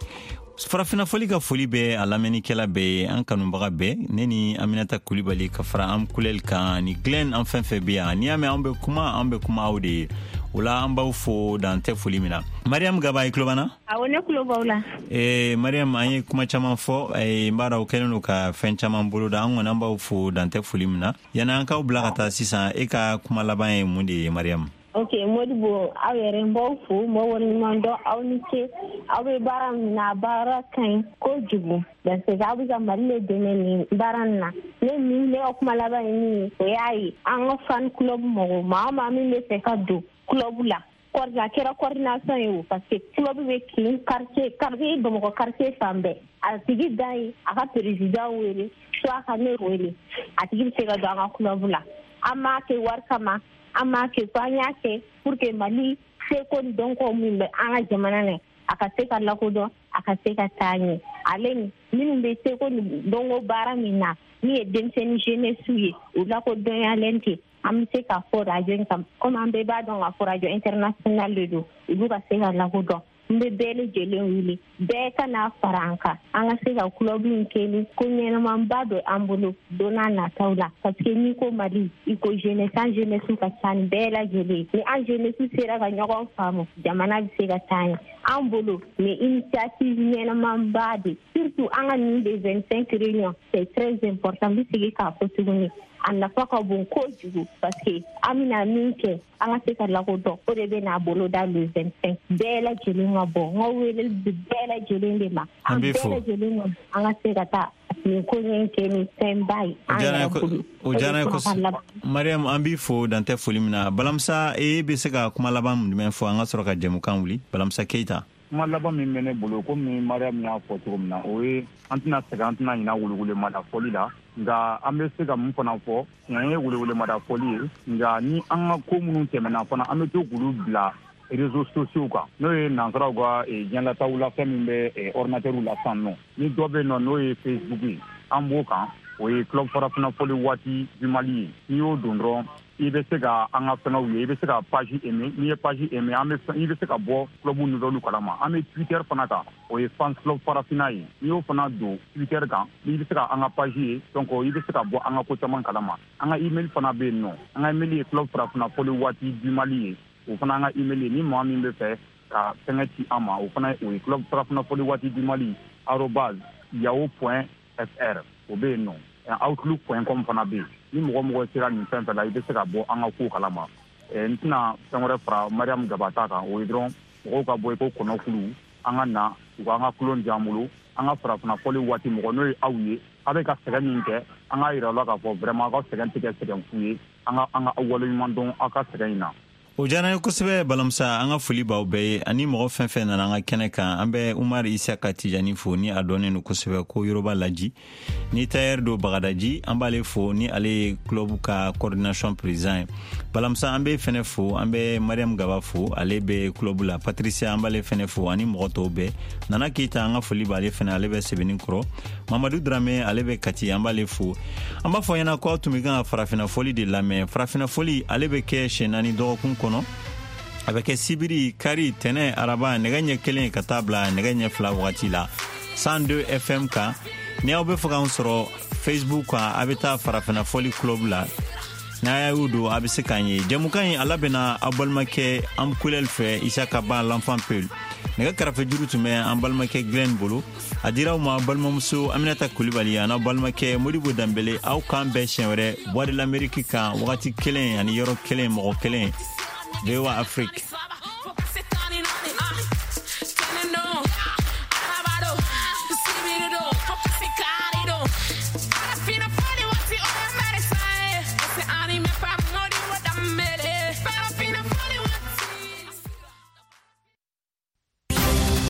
S3: Farafinna fɔli ka foli bɛ a lamɛnnikɛla bɛɛ ye, an kanubaga bɛɛ. Ne ni Aminata Kulibali ka fara an kulɛli kan ni Glenn, an fɛn fɛn bɛ yan, n'i y'a mɛn an bɛ kuma, an bɛ kuma aw de ye. O la an b'aw fo dan tɛ foli min na. Mariam Gaba, i tulo b'an na?
S15: Awɔ, ne tulo b'aw la.
S3: Eh, Mariam, an ye kuma caman fɔ, eh, n b'a dɔn aw kɛlen don ka fɛn caman boloda. An kɔni an b'aw fo dan tɛ foli min na. Yanni an k'aw bila ka taa sisan, e ka kuma laban ye mun de ye, Mariam?
S15: Ok, Modibo, aw yɛrɛ n b'aw fo, n b'aw waleɲuman dɔn, aw ni ce. Aw bɛ baara min na, baara ka ɲi kojugu parce que aw bɛ ka Mali le dɛmɛ nin baara nin na. Ne min ne ka kuma laban ye min ye, o y'a ye an ka fan club mɔgɔw, maa o maa min bɛ fɛ ka don club la, a kɛra coordination ye o, parce que club bɛ kin quartier quartier Bamakɔ quartier fan bɛɛ. A tigi dan ye a ka président wele, soit a ka ne wele, a tigi bɛ se ka don an ka club la. An m'a kɛ wari kama, an m'a kɛ ko an y'a kɛ pour que Mali seko ni dɔnko min bɛ an ka jamana na, a ka se ka lakodɔn, a ka se ka taa ɲɛ. Ale ni minnu bɛ seko ni dɔnko baara min na, min ye denmisɛnnin jeunesse ye, u lakodɔnyalen tɛ. An bɛ se k'a fɔ radio in kan, komi an bɛɛ b'a dɔn k'a fɔ radio international de don, olu ka se ka lakodɔn. N bɛ bɛɛ lajɛlen wele, bɛɛ ka n'a fara an kan, an ka se ka club in kɛ ni ko ɲɛnamaba don an bolo don n'a nataw la, parce que n'i ko Mali, i ko jeunesse, an jeunesse ka ca ni bɛɛ lajɛlen. Ni an jeunesse sera ka ɲɔgɔn faamu, jamana bɛ se ka taa ɲɛ. An bolo nin initiative ɲɛnamaba de, surtout an ka nin de vingt-cinq réunion, c'est très important. N bɛ segin k'a fɔ tuguni, a nafa ka bon kojugu, parce que an bɛna min kɛ, an ka se ka lakodɔn, o de bɛ n'a bolo da le vingt-cinq. Bɛɛ lajɛlen ka bɔ, n ka wele bɛ bɛɛ lajɛlen de ma, an bɛɛ lajɛlen ka an ka se ka taa nin ko in kɛ ni fɛnba ye an yɛrɛ bolo.
S3: O diyara n ye kosɛbɛ Mariam, an b'i fo dan tɛ foli min na. Balamisa, e bɛ se ka kuma laban jumɛn fɔ an ka sɔrɔ ka jɛmukan wuli? Balamisa Keyita.
S5: Kuma laban min bɛ ne bolo, komi Mariam y'a fɔ cogo min na, o ye an tɛna sɛgɛn, an tɛna ɲinɛ welewelemada fɔli la. Nka an bɛ se ka mun fana fɔ, tiɲɛ ye welewelemada fɔli ye, nka ni an ka ko minnu tɛmɛna fana, an bɛ to k'olu bila réseaux sociaux kan, n'o ye nansaraw ka diɲɛlataw la, fɛn min bɛ ordinateur la sisan nɔ. Ni dɔ bɛ yen nɔ, n'o ye Facebook ye, an b'o kan, o ye club farafinna fɔli waati du Mali ye. N'i y'o don dɔrɔn, i bɛ se ka an ka fɛngɛw ye, i bɛ se ka page aimer. N'i ye page aimer, an bɛ i bɛ se ka bɔ club nouvelle kalama. An bɛ Twitter fana kan, o ye fans club farafinna ye. N'i y'o fana don Twitter kan, n'i bɛ se ka an ka page ye, donc i bɛ se ka bɔ an ka ko caman kalama. An ka email fana bɛ yen nɔ, an ka email ye club farafinna fɔli waati du Mali ye. O fana an ka email ye, ni maa min bɛ fɛ ka fɛngɛ ci an ma, o fana o ye club farafinna fɔli waati du Mali arobase yahoo point fr, o bɛ yen nɔ. Outlook point com fana bɛ yen. Ni mɔgɔ mɔgɔ sera nin fɛn fɛn la, i bɛ se ka bɔ an ka kow kalama. N tɛna fɛn wɛrɛ fara Mariam Gaba ta kan, o ye dɔrɔn mɔgɔw ka bɔ i ko kɔnɔkulu, an ka na u k'an ka kulon di an bolo, an ka farafinna fɔli waati mɔgɔ n'o ye aw ye, aw bɛ ka sɛgɛn min kɛ, an k'a yira aw la k'a fɔ vraiment aw ka sɛgɛn tɛ kɛ sɛgɛn fu ye, an ka an ka aw waleɲuman dɔn aw ka sɛgɛn in na.
S3: O diyara n ye kosɛbɛ Balamisa, an ka foli b'aw bɛɛ ye ani mɔgɔ fɛn fɛn nana an ka kɛnɛ kan. An bɛ Umar Isaka Tijani fo, ni a dɔnnen don kosɛbɛ ko Yoroba Laji, ni tailleur don Bagadaji, an b'ale fo, ni ale ye club ka coordination président ye. Balamisa, an bɛ fɛnɛ fo, an bɛ Mariam Gaba fo, ale bɛ club la. Patricia, an b'ale fɛnɛ fo ani mɔgɔ tɔw bɛɛ. Nana Keyita, an ka foli b'ale fɛnɛ, ale bɛ Sɛbɛnni kɔrɔ. Mamadu Dramé, ale bɛ Kati, an b'ale fo. An b'a fɔ ɲɛna ko aw tun bɛ kan ka farafinna fɔli de lamɛn. Farafinna fɔli, ale bɛ kɛ siɲɛ naani dɔgɔkun kɔnɔ. A bɛ kɛ sibiri, kari, tɛnɛ, araba, nɛgɛ ɲɛ kelen ka taa bila nɛgɛ ɲɛ fila wagati la cent deux F M kan. Ni aw bɛ fɛ k'an sɔrɔ Facebook kan, a bɛ taa farafinna fɔli club la. N'a y'o don, a bɛ se k'an ye. Jɛmukan in, a labɛnna aw balimakɛ an kulɛli fɛ, Isaka Ba l'enfant Peul. Nɛgɛ kɛrɛfɛjuru tun bɛ an balimakɛ Glenn bolo. A dira aw ma balimamuso Aminata Kulibali ani aw balimakɛ Modibo Danbele. Aw k'an bɛn siɲɛ wɛrɛ Voix de l'Amérique kan, wagati kelen ani yɔrɔ kelen, mɔgɔ kelen. V O A Afrique.